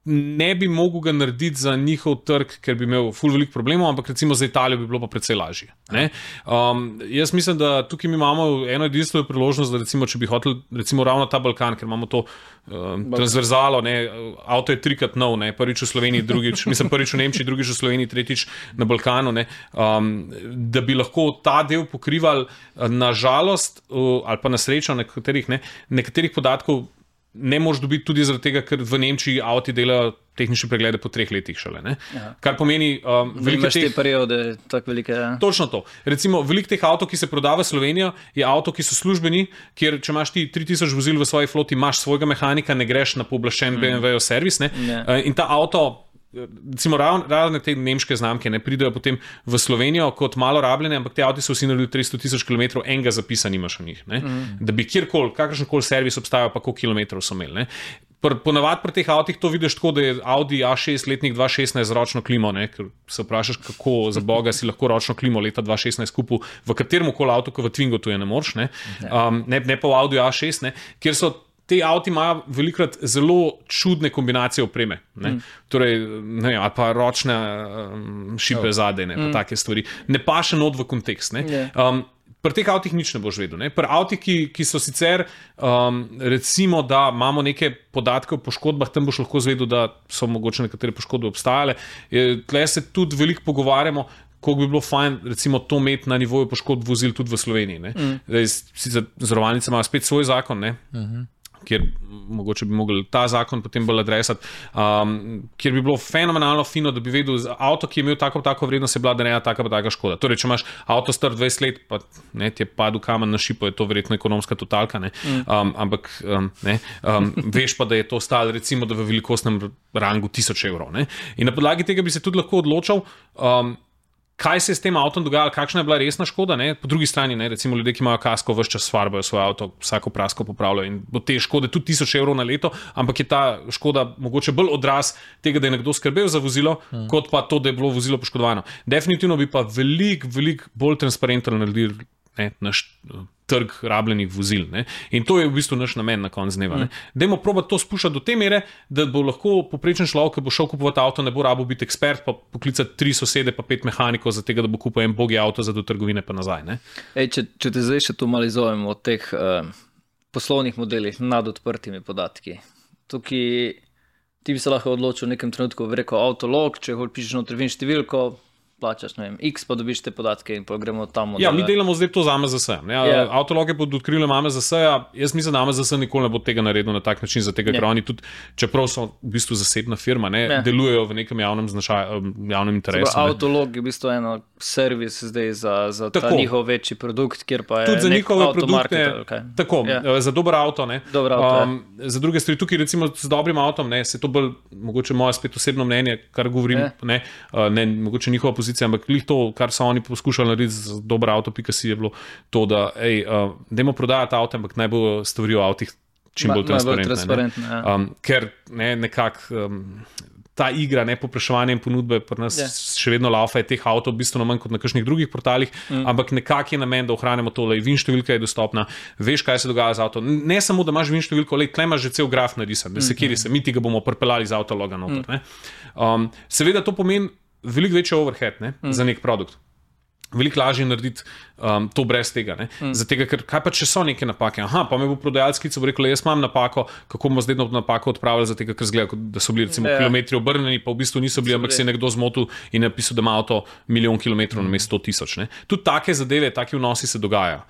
Ne bi mogel ga narediti za njihov trg, ker bi imel ful veliko problemov, ampak recimo za Italijo bi bilo pa precej lažje. Jaz mislim, da tukaj mi imamo eno edinstveno priložnost, da recimo, če bi hotel recimo ravno ta Balkan, ker imamo to transverzalo, ne, avto je trikrat nov, ne, prvič v Sloveniji, prvič v Nemčiji, drugič v Sloveniji, tretjič na Balkanu, ne, da bi lahko ta del pokrival, na žalost ali pa na srečo nekaterih podatkov ne moš dobiti tudi zaradi tega, ker v Nemčiji avti delajo tehnične preglede po 3 letih šele. Ne? Kar pomeni, veliko teh periode, tako velike. Ja. Točno to. Recimo, veliko teh avtov, ki se prodaja v Slovenijo, je avto, ki so službeni, kjer če imaš ti 3000 vozil v svoji floti, imaš svojega mehanika, ne greš na pooblaščen BMW-ov servis, ne? In ta avto, recimo razne te nemške znamke ne pridejo potem v Slovenijo kot malo rabljene, ampak te avti so vsi naredili 300,000 km, enega zapisa nimaš v njih, ne? Da bi kjerkoli, kakršenkoli servis obstajal, pa koliko kilometrov so imeli. Ponavadi pri teh avtih to vidiš tako, da je Audi A6 letnik 2016 z ročno klimo, ne? Ker se vprašaš, kako za boga si lahko ročno klimo leta 2016 kupil v kateremkoli avtu, ko v Twingo tu je ne moreš, ne pa v Audi A6, ne? Kjer so te avti imajo velikrat zelo čudne kombinacije opreme. Torej, ali pa ročne šipe zadaj, pa take stvari. Ne paše not v kontekst. Pri teh avtih nič ne boš vedel. Pri avtih, ki so sicer, recimo, da imamo neke podatke o poškodbah, tam boš lahko zvedel, da so mogoče nekatere poškodbe obstajale. Tle se tudi veliko pogovarjamo, koliko bi bilo fajn, recimo, to imeti na nivoju poškodb vozil tudi v Sloveniji. Sicer zavarovalnice imajo spet svoj zakon, kjer mogoče bi mogli ta zakon potem bolj adresati, kjer bi bilo fenomenalno fino, da bi vedel, avto, ki je imel tako vrednost, je bila narejena taka škoda. Torej, če imaš avto star 20 let, pa ti je padel kamen na šipo, je to verjetno ekonomska totalka, ampak veš pa, da je to stalo recimo, da v velikostnem rangu 1000 evrov. In na podlagi tega bi se tudi lahko odločal, kaj se je s tem avtom dogajalo, kakšna je bila resna škoda, Po drugi strani, recimo ljudje, ki imajo kasko, ves čas farbajo svoje avto, vsako prasko popravljajo in bo te škode tudi 1000 evrov na leto, ampak je ta škoda mogoče bolj odraz tega, da je nekdo skrbel za vozilo, kot pa to, da je bilo vozilo poškodovano. Definitivno bi pa veliko bolj transparentno naredili naš trg rabljenih vozil. In to je v bistvu naš namen na koncu dneva. Dajmo probati to spuščati do te mere, da bo lahko poprečen človek, ki bo šel kupovati avto, ne bo rabil biti ekspert, pa poklicati 3 sosede, pa 5 mehanikov za tega, da bo kupil en bogi avto za do trgovine pa nazaj. Če te zdaj še tu malo izovemo od teh poslovnih modelih nad odprtimi podatki. Tukaj ti bi se lahko odločil v nekem trenutku, bi rekel avtolog, če pišeš notri VIN številko, plačaš, X, pa dobiš te podatke in pa gremo tam. Ja, mi delamo zdaj to za AMZS. Avtologe pod okriljem AMZS-ja, jaz mislim, da AMZS nikoli ne bo tega naredil na tak način, ker oni tudi, čeprav so v bistvu zasebna firma, delujejo v nekem javnem interesu. Avtolog je v bistvu eno servis zdaj za ta njihov večji produkt, kjer pa je tudi za njihove produkte, tako, za dober avto, za druge stvari. Tukaj recimo z dobrim avtom, se to bolj, mogoče moje spet osebno mnenje, kar govorim, mogoče njihova pozicija, ampak to, kar so oni poskušali narediti z dobro avto.si je bilo to, da dajmo prodajati avto, ampak naj bo stvari o avtih čim bolj transparentne. Ker nekako ta igra, ne povpraševanje in ponudbe, pri nas še vedno laufa, je teh avtov bistveno manj kot na kakšnih drugih portalih, ampak nekak je namen, da ohranimo tole, VIN številka je dostopna, veš, kaj se dogaja z avtom. Ne samo, da imaš VIN številko, tle imaš že cel graf narisan, da se kjer se, mi ti ga bomo pripeljali z avtologa noter. Seveda to pomeni veliko večji overhead, ne, za nek produkt. Veliko lažje narediti to brez tega. Zatega, ker kaj pa če so neke napake? Pa me bo prodajalec klical, bo rekel, jaz imam napako, kako bomo zdaj napako odpravili, zatega, ker zgleda, da so bili recimo kilometri obrnjeni, pa v bistvu niso bili, ampak se je nekdo zmotil in napisal, da ima avto 1 milijon kilometrov namesto 100 000. Tudi take zadeve, taki vnosi se dogajajo.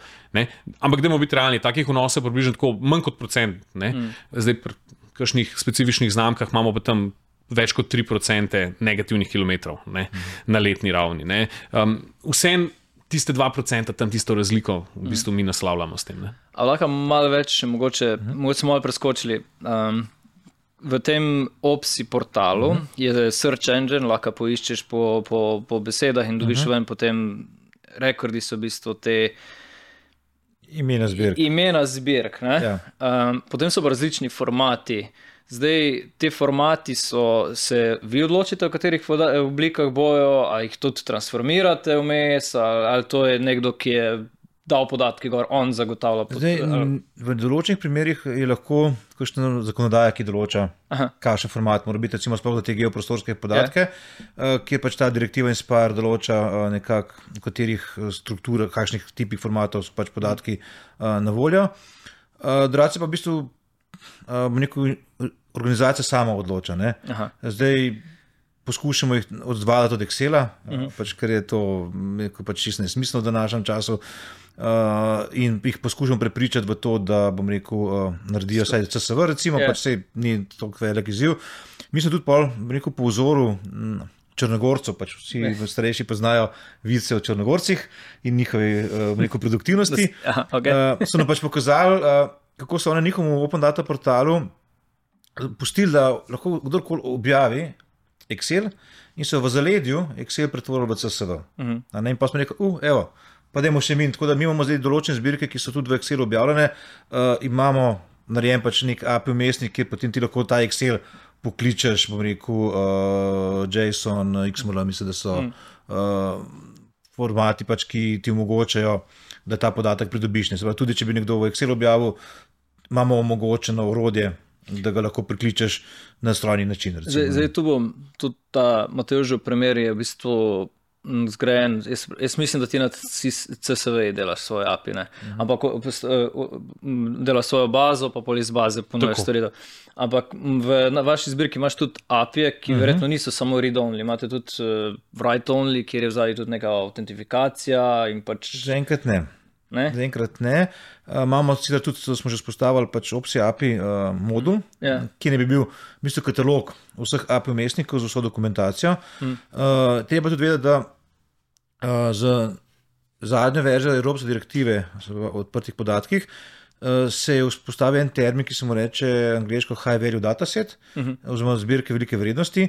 Ampak dajmo biti realni, takih vnosov je približno tako manj kot procent. Zdaj pri kakšnih specifičnih znamkah imamo pa tam več kot 3% negativnih kilometrov na letni ravni. Vsem tiste 2% tam tisto razliko v bistvu mi naslavljamo s tem. A lahko malo več, mogoče smo malo preskočili. V tem Opsi portalu je search engine, lahko poiščeš po besedah in dobiš ven potem rekordi so v bistvu te imena zbirk. Potem so pa različni formati. Zdaj, te formati se vi odločite, v katerih oblikah bojo, ali jih tudi transformirate vmes, ali to je nekdo, ki je dal podatke gor, on zagotavlja. Zdaj, v določenih primerih je lahko kakšna zakonodaja, ki določa, kakšen format mora biti, recimo sploh za te geoprostorske podatke, kjer pač ta direktiva Inspire določa nekako, v katerih strukturah, kakšnih tipih formatov so pač podatki na voljo. Drugače pa v bistvu organizacija sama odloča. Zdaj poskušamo jih odzvaliti od Excela, pač, ker je to pač čisto nesmiselno v današnjem času in jih poskušamo prepričati v to, da naredijo vsaj CSV, recimo, pač sej ni toliko velik izziv. Mi smo tudi po vzoru Črnogorcev, pač vsi starejši poznajo vice o Črnogorcih in njihovi produktivnosti. So nam pač pokazali, kako so na njihovem Open Data portalu pustili, da lahko kdorkoli objavi Excel in so v zaledju Excel pretvorili v CSV. In pa smo rekli, evo, pa dajmo še mi, tako da mi imamo zdaj določene zbirke, ki so tudi v Excelu objavljene, imamo narejen pač nek API vmesnik, kjer potem ti lahko ta Excel pokličeš, bom rekel, JSON, XML, mislim, da so formati pač, ki ti omogočajo, da ta podatek pridobiš. Tudi če bi nekdo v Excel objavil, imamo omogočeno orodje, da ga lahko prikličeš na strojni način. Zdaj tu bom, tudi ta Matevžev primer je v bistvu zgrajen, jaz mislim, da ti na CSV delaš svoje API, ampak delaš svojo bazo, pa pol iz baze ponujaš storitev. Ampak na vaši zbirki imaš tudi API, ki verjetno niso samo read-only, imate tudi write-only, kjer je vzali tudi neka autentifikacija in pač... Zaenkrat ne. Zaenkrat ne. Imamo sicer tudi, smo že spostavili pač Opsi API modul, ki ne bi bil v bistvu katalog vseh API vmesnikov z vso dokumentacijo. Treba tudi vedeti, da z zadnjo verzijo Evropske direktive o odprtih podatkih se je vzpostavil en termin, ki se mu reče angleško high value dataset, oziroma zbirke velike vrednosti,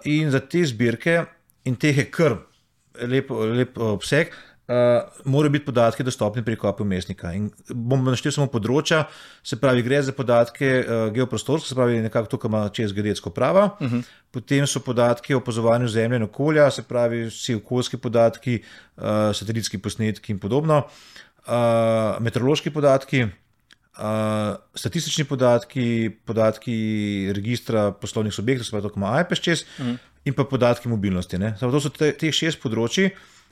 in za te zbirke, in teh je kar lep obseg, morajo biti podatki dostopni preko API vmesnika. In bom naštel samo področja, se pravi, gre za podatke geoprostorske, se pravi, nekako tukaj ima čez geodetsko prava, potem so podatki o opazovanju zemlje in okolja, se pravi, vsi okoljski podatki, satelitski posnetki in podobno, meteorološki podatki, statistični podatki registra poslovnih subjektov, se pravi, tukaj ima IPES čez, in pa podatki mobilnosti. To so teh 6 področji,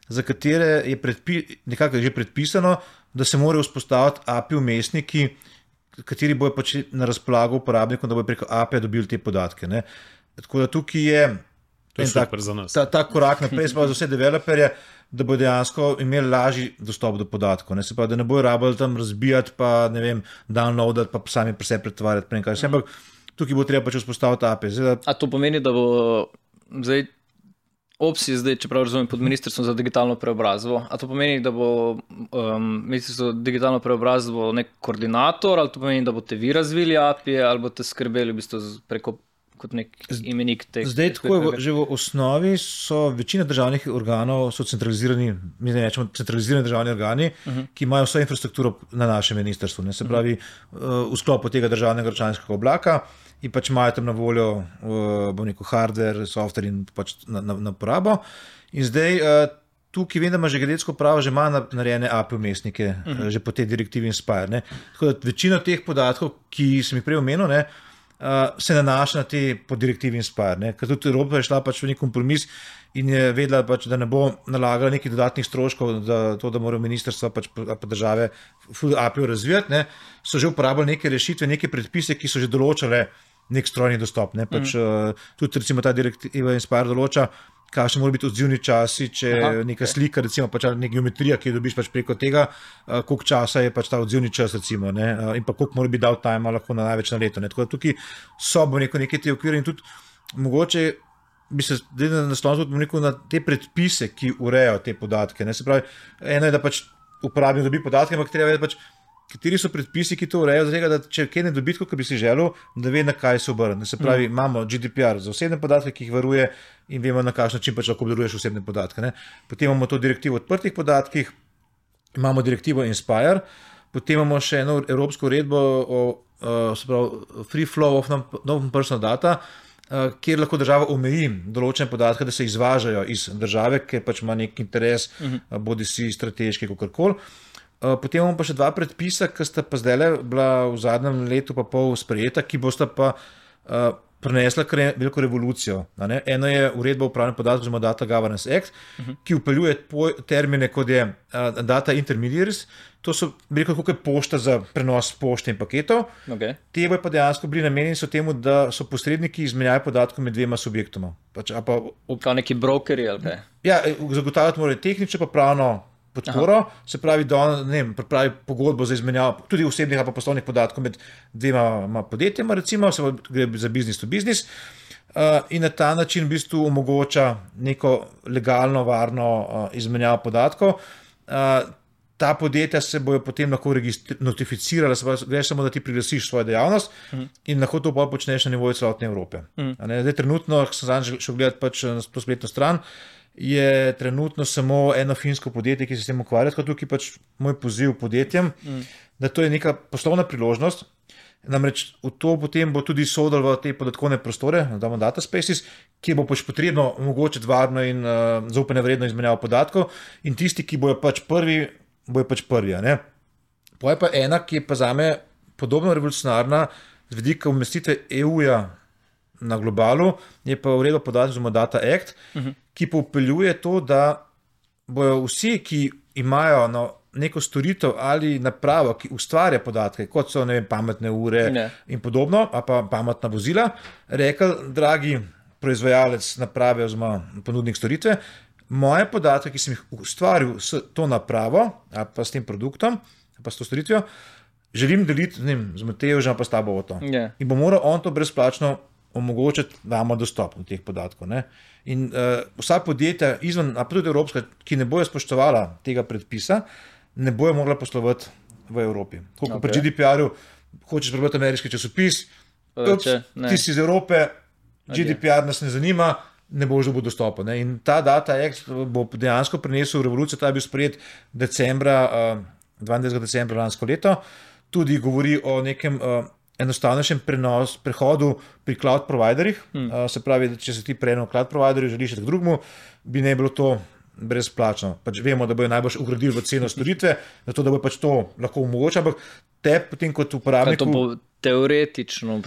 za katere je nekako že predpisano, da se morajo vzpostaviti API vmesniki, kateri bojo pač na razpolago uporabnikom, da bojo preko API dobili te podatke. Tako da tukaj je ta korak naprej, za vse developerje, da bodo dejansko imeli lažji dostop do podatkov. Se pravi, da ne bojo rabili tam razbijati, pa ne vem, downloadati, pa sami pri sebi pretvarjati. Ampak tukaj bo treba pač vzpostaviti API. A to pomeni, da bo zdaj Opsi zdaj, čeprav razumem, pod Ministrstvom za digitalno preobrazbo, a to pomeni, da bo Ministrstvo za digitalno preobrazbo nek koordinator, ali to pomeni, da boste vi razvili API, ali boste skrbeli v bistvu preko kot nek imenik teh? Zdaj, tako je, že v osnovi so večina državnih organov so centralizirani, mi ne rečemo centralizirani državni organi, ki imajo vso infrastrukturo na našem ministrstvu. Se pravi, v sklopu tega državnega računalniškega oblaka in pač imajo tam na voljo hardware, software in pač na porabo. In zdaj tukaj vem, da ima že geodetsko uprava že ima narejene API umestnike, že po tej direktivi Inspire. Ne. Tako da večina teh podatkov, ki sem jih prej omenil, ne, se nanaša na te po direktivi Inspire. Ne. Ker tudi Evropa je šla pač v nek kompromis in je vedela, pač, da ne bo nalagala nekih dodatnih stroškov, da morajo ministrstva pač pa države API razvijati. Ne. So že uporabljali neke rešitve, neke predpise, ki so že določale nek strojni dostop. Ne. Pač, tudi recimo ta direktiva Inspire določa, kakšni morajo biti odzivni časi, če neka slika, recimo pač neka geometrija, ki jo dobiš pač preko tega, koliko časa je pač ta odzivni čas, recimo, ne, in pa koliko mora biti downtime lahko na največ na leto. Ne. Tako da tukaj so neke te okvire in tudi mogoče bi se naslonil tudi na te predpise, ki urejajo te podatke. Ne. Se pravi, eno je, da pač uporabnik dobi podatke, ampak treba vedeti pač, kateri so predpisi, ki to urejajo, zato da če kaj ne dobi, kot bi si želel, da ve, na kaj se obrne. Se pravi, imamo GDPR za osebne podatke, ki jih varuje in vemo, na kakšen način pač lahko obdeluješ osebne podatke. Ne. Potem imamo to direktivo o odprtih podatkih, imamo direktivo Inspire, potem imamo še eno evropsko uredbo o free flow of non-personal data, kjer lahko država omeji določene podatke, da se izvažajo iz države, ker pač ima nek interes, bodi si strateški, kakorkoli. Potem imamo pa še dva predpisa, ki sta pa zdaj bila v zadnjem letu pa pol sprejeta, ki bosta pa prinesla veliko revolucijo. Eno je uredba o upravljanju podatkov, oziroma Data Governance Act, ki vpeljuje termine, kot je data intermediaries. To so veliko kot pošta za prenos pošte in paketov. Okay. Te bojo pa dejansko bili namenjeni so temu, da so posredniki izmenjave podatkov med dvema subjektoma. Kot neki brokeri ali kaj? Ja, zagotavljati morajo tehnično pa pravno podporo, se pravi, da on pripravi pogodbo za izmenjavo tudi osebnih ali pa poslovnih podatkov med dvema podjetjema, recimo, se gre za business to business, in na ta način v bistvu omogoča neko legalno, varno izmenjavo podatkov. Ta podjetja se bojo potem lahko notificirala, se pravi, greš samo, da ti priglasiš svojo dejavnost in lahko to pa počneš na nivoju celotne Evrope. Zdaj trenutno, ko sem zadnjič šel gledati pač na to spletno stran, je trenutno samo eno finsko podjetje, ki se s tem ukvarja, tako tukaj pač moj poziv podjetjem, da to je neka poslovna priložnost, namreč v to potem bo tudi sodel v te podatkovne prostore, damo data spaces, ki bo pač potrebno omogočiti varno in zaupanje vredno izmenjavo podatkov in tisti, ki bojo pač prvi, ne. Pa je pa ena, ki je pa zame podobno revolucionarna z vidika umestitve EU-ja na globalu, je pa uredba podatkov, oziroma Data Act, ki pa vpeljuje to, da bojo vsi, ki imajo neko storitev ali napravo, ki ustvarja podatke, kot so pametne ure in podobno, ali pa pametna vozila, rekli, dragi proizvajalec naprave oziroma ponudnik storitve, moje podatke, ki sem jih ustvaril s to napravo ali pa s tem produktom ali pa s to storitvijo, želim deliti z Matejevžem pa s tabo o to. In bo moral on to brezplačno omogočiti, da imamo dostop do teh podatkov. Ne? In vsa podjetja izven, a pa tudi evropska, ki ne bojo spoštovala tega predpisa, ne bojo mogla poslovati v Evropi. Tako pri GDPR-u, hočeš prebrati ameriški časopis, ti si iz Evrope, GDPR nas ne zanima, ne boš dobil dostopa. Ne? In ta Data Act bo dejansko prinesel revolucijo, ta je bil sprejet 22. decembra lansko leto, tudi govori o nekem enostavnejšem prehodu pri cloud providerjih. Se pravi, da če se ti prejeno cloud providerju, želiš k drugemu, bi ne bilo to brezplačno. Pač vemo, da bojo najbolj ugradili v ceno storitve, zato da bo pač to lahko omogoča, ampak te potem kot uporabniku... To bo teoretično,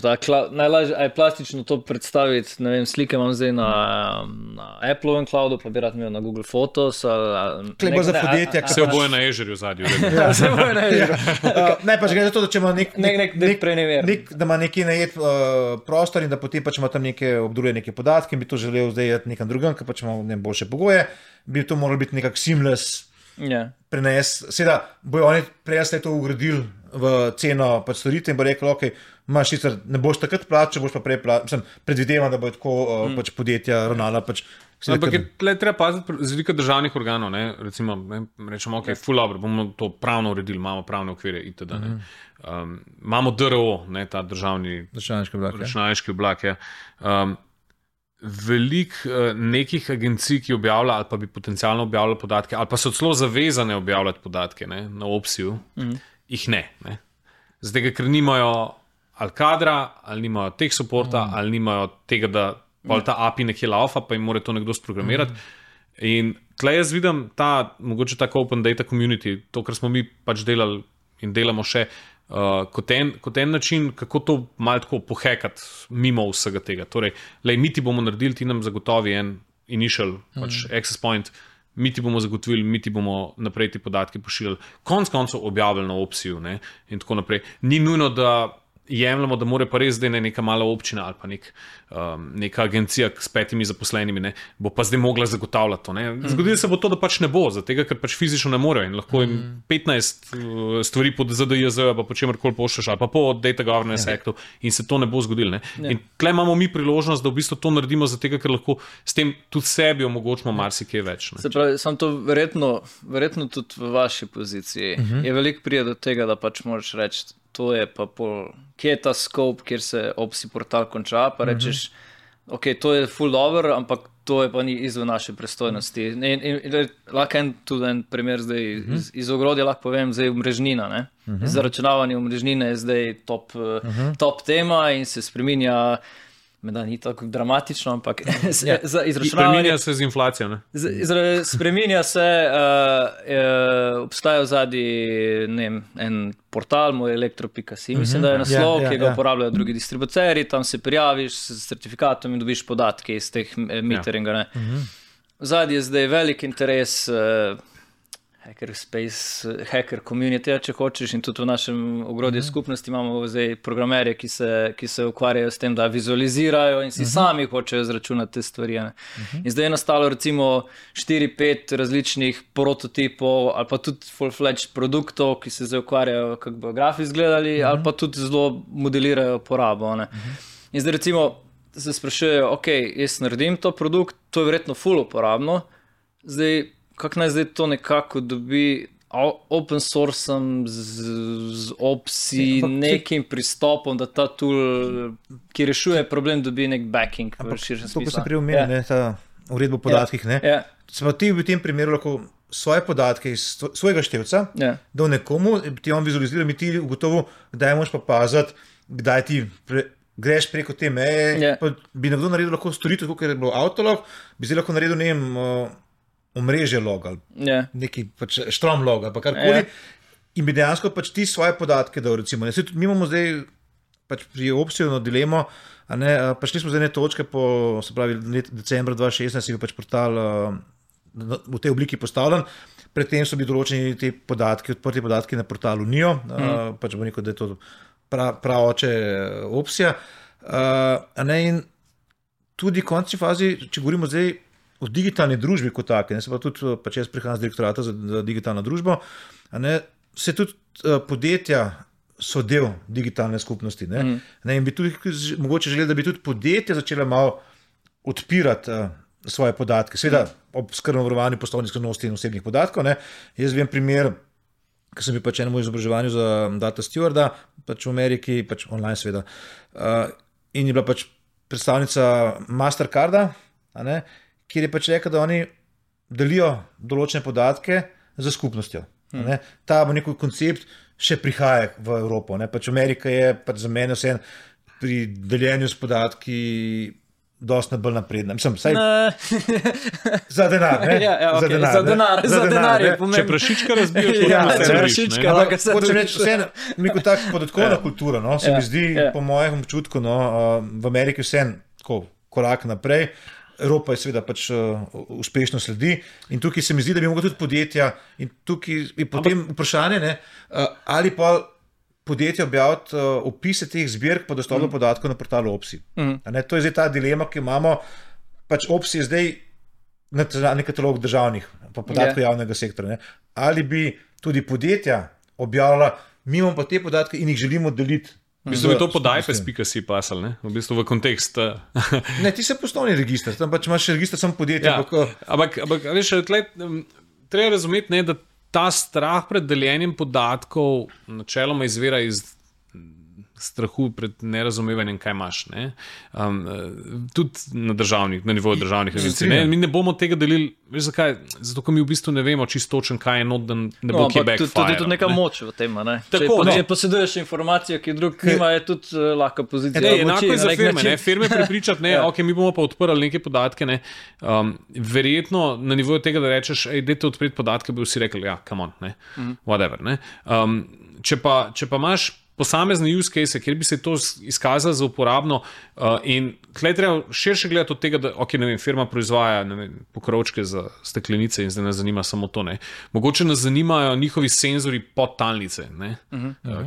najlažje je plastično to predstaviti, ne vem, slike imam zdaj na Appleovem cloudu, pa bi rad imel na Google Photos. Kleba za podjetja, ki se oboje na Azure zadnji. Se oboje na Azure. Ne, pač gre za to, da če ima da ima neki najet prostor in da potem pač ima tam neke obdeluje neke podatke in bi to želel zdaj nekam drugam, ker pač ima boljše pogoje, bi to moralo biti nekak seamless prenes. Seveda, bojo oni prej to ugradili v ceno pač storitev in bo rekel, ok, imaš sicer, ne boš takrat plačal, boš pa prej plačal, predvidevam, da bo tako pač podjetja ravnala pač. Ampak je treba paziti z vidika državnih organov, ne? Recimo, rečemo, ok, full dobro, bomo to pravno uredili, imamo pravne okvire itd. Imamo DRO, ne, ta državni računalniški oblak. Veliko nekih agencij, ki objavlja ali pa bi potencialno objavljali podatke, ali pa so celo zavezane objavljati podatke, ne, na opciju, jih ne. Zdaj, ker nimajo ali kadra, ali nimajo teh supporta, ali nimajo tega, da ta API nekje laufa, pa jim mora to nekdo sprogramirati. In tle jaz vidim mogoče tako open data community, to, kar smo mi pač delali in delamo še, kot en način, kako to malo tako pohekati mimo vsega tega. Torej, mi ti bomo naredili, ti nam zagotovi en initial pač access point, mi ti bomo zagotovili, mi ti bomo naprej ti podatki pošiljali, konec koncev objavili na opciju, ne, in tako naprej. Ni nujno, da jemljamo, da mora pa res zdaj neka mala občina ali pa neka agencija s 5 zaposlenimi, ne, bo pa zdaj mogla zagotavljati to. Zgodilo se bo to, da pač ne bo, zato ker pač fizično ne morejo in lahko jim 15 stvari pod ZDJZ pa po čemerkoli pošlješ ali pa po Data Governance Actu in se to ne bo zgodilo. Ne. In tle imamo mi priložnost, da v bistvu to naredimo, zato ker lahko s tem tudi sebi omogočimo marsikaj več. Ne. Se pravi, sam to verjetno tudi v vaši poziciji je veliko prije do tega, da pač moraš reči, to je pa kje je ta scope, kjer se opsi portal konča, pa rečeš, ok, to je full dobro, ampak to je pa ni izven naše pristojnosti. In lahko tudi en primer zdaj iz ogrodja lahko povem, zdaj omrežnina, ne? Zaračunavanje omrežnine je zdaj top tema in se spreminja, da ni tako dramatično, ampak za izračunavanje... Spreminja se z inflacijo, ne? Spreminja se, obstaja vzadnji, en portal, moj elektro.si, mislim, da je naslov, ki ga uporabljajo drugi distributerji, tam se prijaviš s certifikatom in dobiš podatke iz teh meteringa, ne? Vzadnji je zdaj velik interes, hacker community, če hočeš, in tudi v našem ogrodju skupnosti imamo zdaj programerje, ki se ukvarjajo s tem, da vizualizirajo in si sami hočejo izračunati te stvari. In zdaj je nastalo recimo 4-5 različnih prototipov ali pa tudi full-fledged produktov, ki se zdaj ukvarjajo, kako bo grafi izgledali, ali pa tudi zelo modelirajo porabo. In zdaj recimo se sprašujejo, ok, jaz naredim to produkt, to je verjetno full uporabno, zdaj kako naj zdaj to nekako dobi open sourcem z opsi, nekim pristopom, da ta tool, ki rešuje problem, dobi nek backing v širšem smislu. To, ko sem prej omenil, ta uredba o podatkih, smo ti v tem primeru lahko svoje podatke iz svojega števca, da v nekomu ti on vizualizira, mi ti ugotovo, kdaj moraš pa paziti, kdaj ti greš preko te meje, pa bi nekdo naredil lahko storitev, kot je bilo Autolog, bi zdaj lahko naredil, ne vem, omrežje log ali neki pač štrom log ali pa karkoli in bi dejansko pač ti svoje podatke dal, recimo. Mi imamo zdaj pač pri opsiju dilemo, prišli smo zdaj ne točke po, se pravi, decembra 2016 je pač portal v tej obliki postavljen, predtem so bili določeni te podatki, odprti podatki na portalu NIO, pač bo rekel, da je to pravoče opsija. In tudi v končni fazi, če govorimo zdaj o digitalni družbi kot take, se pa tudi, pač jaz prihajam z direktorata za digitalno družbo, se tudi podjetja so del digitalne skupnosti. In bi tudi mogoče želeli, da bi tudi podjetja začela malo odpirati svoje podatke. Seveda ob skrbnem varovanju poslovne skrivnosti in osebnih podatkov. Jaz vem primer, ko sem bil pač enemu izobraževanju za data stewarda, pač v Ameriki, pač online seveda, in je bila pač predstavnica Mastercarda, kjer je pač rekel, da oni delijo določene podatke za skupnostjo. Ta bo neki koncept še prihaja v Evropo. Pač Amerika je pač za mene vse pri deljenju s podatki dosti bolj napredna. Mislim, saj za denar, ne? Za denar je pomembno. Če prašička razbiješ, prašička, lahko se hočem reči, vse neko tako podatkovna kultura, se mi zdi, po mojem občutku, v Ameriki vse korak naprej. Evropa je seveda pač uspešno sledi in tukaj se mi zdi, da bi mogli tudi podjetja in tukaj je potem vprašanje, ali pa podjetja objaviti opise teh zbirk pa dostop do podatkov na portalu OPSI. To je zdaj ta dilema, ki imamo, pač OPSI je zdaj nacionalni katalog državnih pa podatkov javnega sektora. Ali bi tudi podjetja objavila, mi imamo pa te podatke in jih želimo deliti. V bistvu je to podajpes.si pasal, ne? V bistvu v kontekst. Ne, ti se poslovni register, tam pač imaš register samo podjetja. Ampak veš, treba razumeti, da ta strah pred deljenjem podatkov načeloma izvira iz strahu pred nerazumevanjem, kaj imaš. Ne? Tudi na nivoju državnih agencij. Mi ne bomo tega delili, veš zakaj? Zato, ker mi v bistvu ne vemo čisto točno, kaj je not, da ne bo kje backfire. Tudi neka moč v tem, ne? Če poseduješ informacijo, ki drug nima, je tudi lahka pozicija. Enako je za firme, ne? Firme prepričati, ok, mi bomo pa odprli neke podatke, ne? Verjetno na nivoju tega, da rečeš, dajte odpreti podatke, bi vsi rekli, ja, come on, ne? Whatever, ne? Če pa imaš posamezne use case, kjer bi se to izkazalo za uporabno in tlej treba širše gledati od tega, da firma proizvaja pokrovčke za steklenice in zdaj nas zanima samo to. Ne. Mogoče nas zanimajo njihovi senzori podtalnice,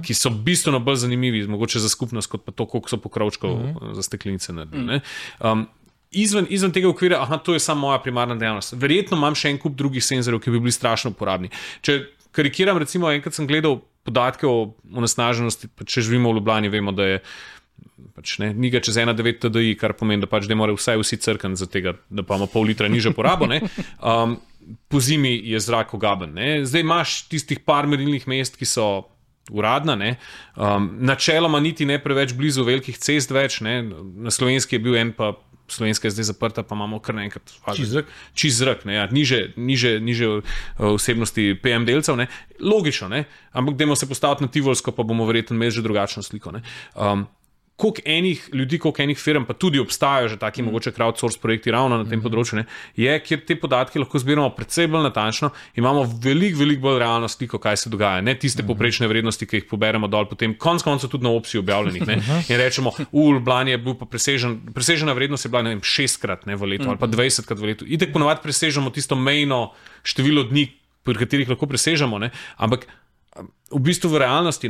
ki so bistveno bolj zanimivi, mogoče za skupnost, kot pa to, koliko so pokrovčkov za steklenice naredili. Izven tega okvira, to je samo moja primarna dejavnost. Verjetno imam še en kup drugih senzorjev, ki bi bili strašno uporabni. Če karikiram, recimo, enkrat sem gledal podatke o onesnaženosti, če živimo v Ljubljani, vemo, da je ni ga čez 1,9 TDI, kar pomeni, da da morajo vsi crkati za tega, da pa ima pol litra nižjo porabo. Po zimi je zrak ogaben. Zdaj imaš tistih par merilnih mest, ki so uradna, načeloma niti ne preveč blizu velikih cest več, na Slovenski je bil en pa Slovenska je zdaj zaprta, pa imamo kar naenkrat čist zrak, niže vsebnosti PM delcev, logično, ampak dajmo se postaviti na Tivolsko, pa bomo verjetno imeli že drugačno sliko. Koliko enih ljudi, koliko enih firm, pa tudi obstajajo že taki mogoče crowdsource projekti ravno na tem področju, je, kjer te podatke lahko zbiramo predvsej bolj natančno, imamo veliko bolj realno sliko, kaj se dogaja, ne tiste povprečne vrednosti, ki jih poberemo dol, potem konec koncev tudi na opciji objavljenih, in rečemo, v Ljubljani je bil pa presežena vrednost je bila, 6-krat v letu ali pa 20-krat v letu. Itek ponovadi presežemo tisto mejno število dni, pri katerih lahko presežemo, ampak v bistvu v realnosti,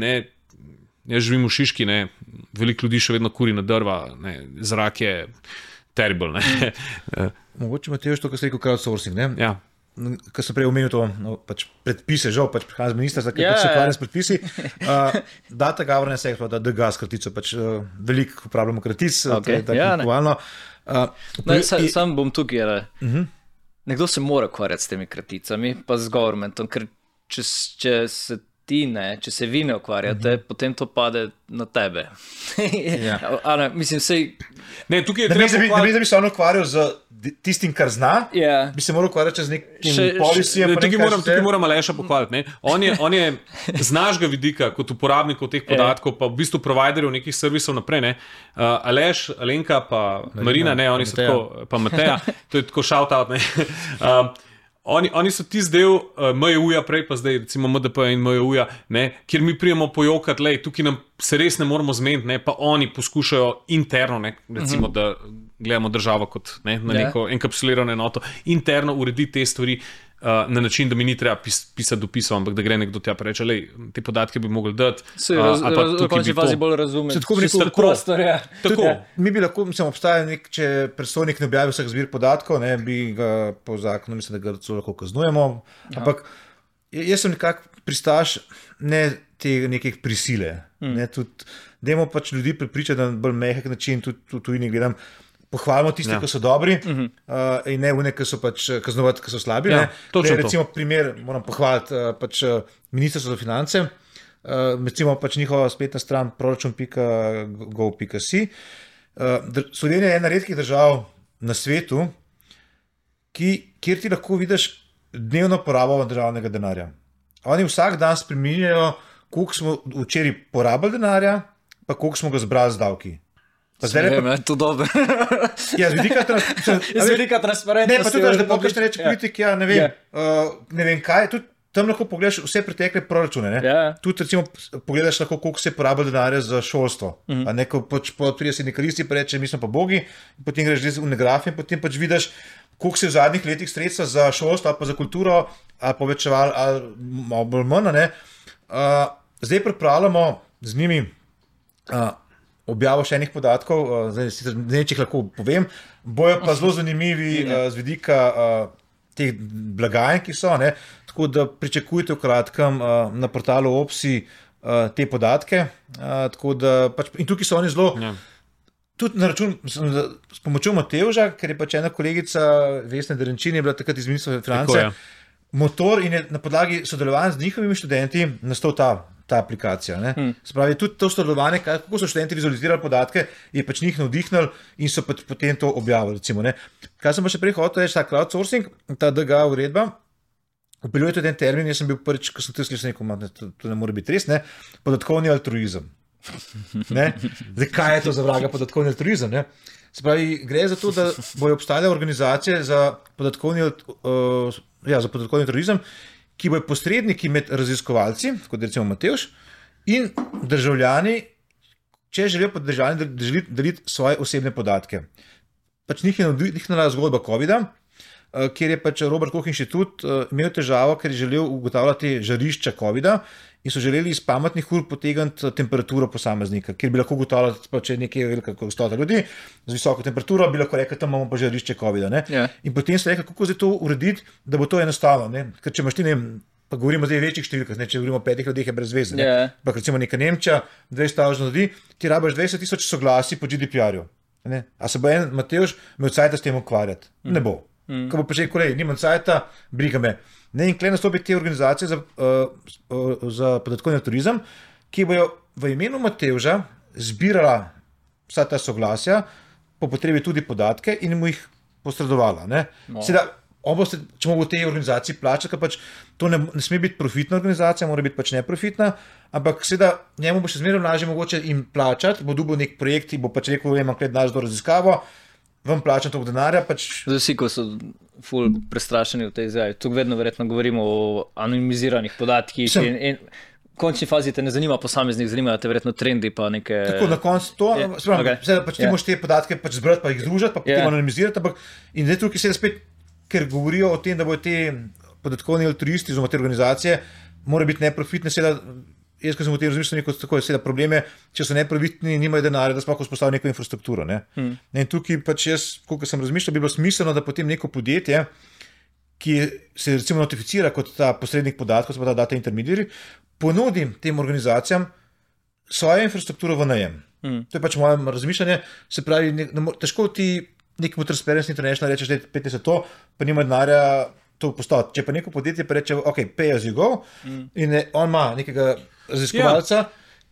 jaz živim v Šiški, veliko ljudi še vedno kuri na drva, zrak je terrible. Mogoče Matej, to, kar si rekel, crowdsourcing, Ja. Kar sem prej omenil to, predpise, žal, prihajam z ministrstva, ki se ukvarja s predpisi. Data governance act, da DGAS kratico, veliko uporabljamo kratic, aktualno. Sam bom tukaj, nekdo se mora ukvarjati s temi kraticami, pa z governmentom, ker če se če se vi ne ukvarjate, potem to pade na tebe. Mislim, tukaj je treba da bi se on ukvarjal z tistim, kar zna, bi se moral ukvarjati z nekim policijem. Tukaj moram Aleša pohvaliti. On je z našega vidika, kot uporabnikov teh podatkov, pa v bistvu providerjev nekih servisov naprej. Aleš, Alenka, pa Marina, oni so tako, pa Mateja, to je tako shout out. Oni so tisti del MJU-ja prej, pa zdaj recimo MDP in MJU-ja, kjer mi prijemo pojokati, tukaj nam se res ne moramo zmeniti, pa oni poskušajo interno, recimo, da gledamo državo kot na neko enkapsulirano enoto, interno urediti te stvari na način, da mi ni treba pisati dopisov, ampak da gre nekdo tja pa reče, te podatke bi mogli dati. V končni fazi bolj razumeti. Tako. Mi bi lahko, obstaja če predstojnik ne objavi vseh zbir podatkov, bi ga po zakonu, mislim, da ga lahko kaznujemo, ampak jaz sem nekako pristaš nekih prisile. Dajmo ljudi prepričati na bolj mehek način, tudi ne gledam, pohvalimo tiste, ki so dobri in ne vne, ki so kaznovati, ki so slabi. Recimo primer, moram pohvaliti Ministrstvo za finance, recimo njihova spletna stran proračun.gov.si. Slovenija je ena redkih držav na svetu, kjer ti lahko vidiš dnevno porabo državnega denarja. Oni vsak dan spreminjajo, koliko smo včeraj porabili denarja, pa koliko smo ga zbrali z davki. To dobro. Z vidika transparentnosti. Ne, pa tudi, da pokažeš reči politik, ne vem kaj, tudi tam lahko pogledaš vse pretekle proračune. Tudi recimo pogledaš lahko, koliko se porabi denarja za šolstvo. Neko prije sindikalisti pa reče, mi smo pa bogi, potem greš v negraf in potem vidiš, koliko se v zadnjih letih sredstva za šolstvo ali pa za kulturo ali povečevali ali malo bolj manj. Zdaj pripravljamo z njimi objavo še enih podatkov, zdaj če jih lahko povem, bojo pa zelo zanimivi z vidika teh blagajn, ki so, tako da pričakujte v kratkem na portalu OPSI te podatke, tako da in tukaj so oni zelo tudi na račun, s pomočjo Matevža, ker je ena kolegica Vesna Derenčin je bila takrat iz Ministrstva za finance, motor in je na podlagi sodelovanja z njihovimi študenti nastal ta ta aplikacija. Spravi, tudi to sodelovanje, kako so študenti vizualizirali podatke, je pač njih navdihnil in so potem to objavili. Recimo, Kaj sem pa še prej hotel reči, ta crowdsourcing, ta DGA uredba, vpeljuje tudi en termin, jaz sem bil prvič, ko sem to slišal, to ne more biti res, podatkovni altruizem. Zdaj, kaj je to za vraga podatkovni altruizem? Spravi, gre za to, da bojo obstajale organizacije za podatkovni altruizem, ki bojo posredniki med raziskovalci, kot recimo Matevž, in državljani, če želijo pa državljani deliti svoje osebne podatke. Pač njih je navdihnila zgodba COVID-a, kjer je pač Robert Koch inštitut imel težavo, ker je želel ugotavljati žarišča COVID-a in so želeli iz pametnih ur potegniti temperaturo posameznika, kjer bi lahko ugotavljali, če je nekaj velika gostota ljudi z visoko temperaturo, bi lahko rekli, tam imamo pa žarišče COVID-a. In potem so rekli, kako zdaj to urediti, da bo to enostavno. Ker če imaš ti, pa govorimo zdaj o večjih številkah, če govorimo o 5 ljudeh, je brez veze. Pa recimo neka Nemčija, 200 ljudi, ti rabiš 20,000 soglasij po GDPR-ju. A se bo en Matevž imel cajta s tem ukvarjati? Ne bo. Ko bo pa že kolej, nimam cajta, briga me. In kle nastopi te organizacije za podatkovni turizem, ki bojo v imenu Matevža zbirala vsa ta soglasja, po potrebi tudi podatke in mu jih posredovala. Seveda, če mogo v tej organizaciji plačati, pač to ne sme biti profitna organizacija, mora biti pač neprofitna, ampak seveda njemu bo še zmeraj lažje mogoče jim plačati, bo dobil nek projekt, bo pač rekel, imam kle denar za to raziskavo, vam plačam toliko denarja. Vsi, ko so ful prestrašeni v tej izjavi, tukaj vedno verjetno govorimo o anonimiziranih podatkih in v končni fazi te ne zanima posameznik, zanimajo te verjetno trendi pa neke... Tako, na koncu to, pač ti moraš te podatke pač zbrati, pa jih združiti, pa potem anonimizirati, in zdaj tukaj se spet, ker govorijo o tem, da bodo te podatkovni altruisti, oziroma te organizacije, morajo biti neprofitne, seveda, jaz, ko sem v tem razmišljal, tako je, seveda problem je, če so neprofitni, nimajo denarja, da sploh vzpostavijo neko infrastrukturo. In tukaj pač jaz, koliko sem razmišljal, bi bilo smiselno, da potem neko podjetje, ki se recimo notificira kot ta posrednik podatkov, se pa ta data intermediary, ponudim tem organizacijam svojo infrastrukturo v najem. To je pač moje razmišljanje, se pravi, težko ti nekemu Transparency International rečeš, da je 50 to, pa nima denarja to postaviti. Če pa neko podjetje pa reče, ok, pay as you go, in on ima nekega raziskovalca.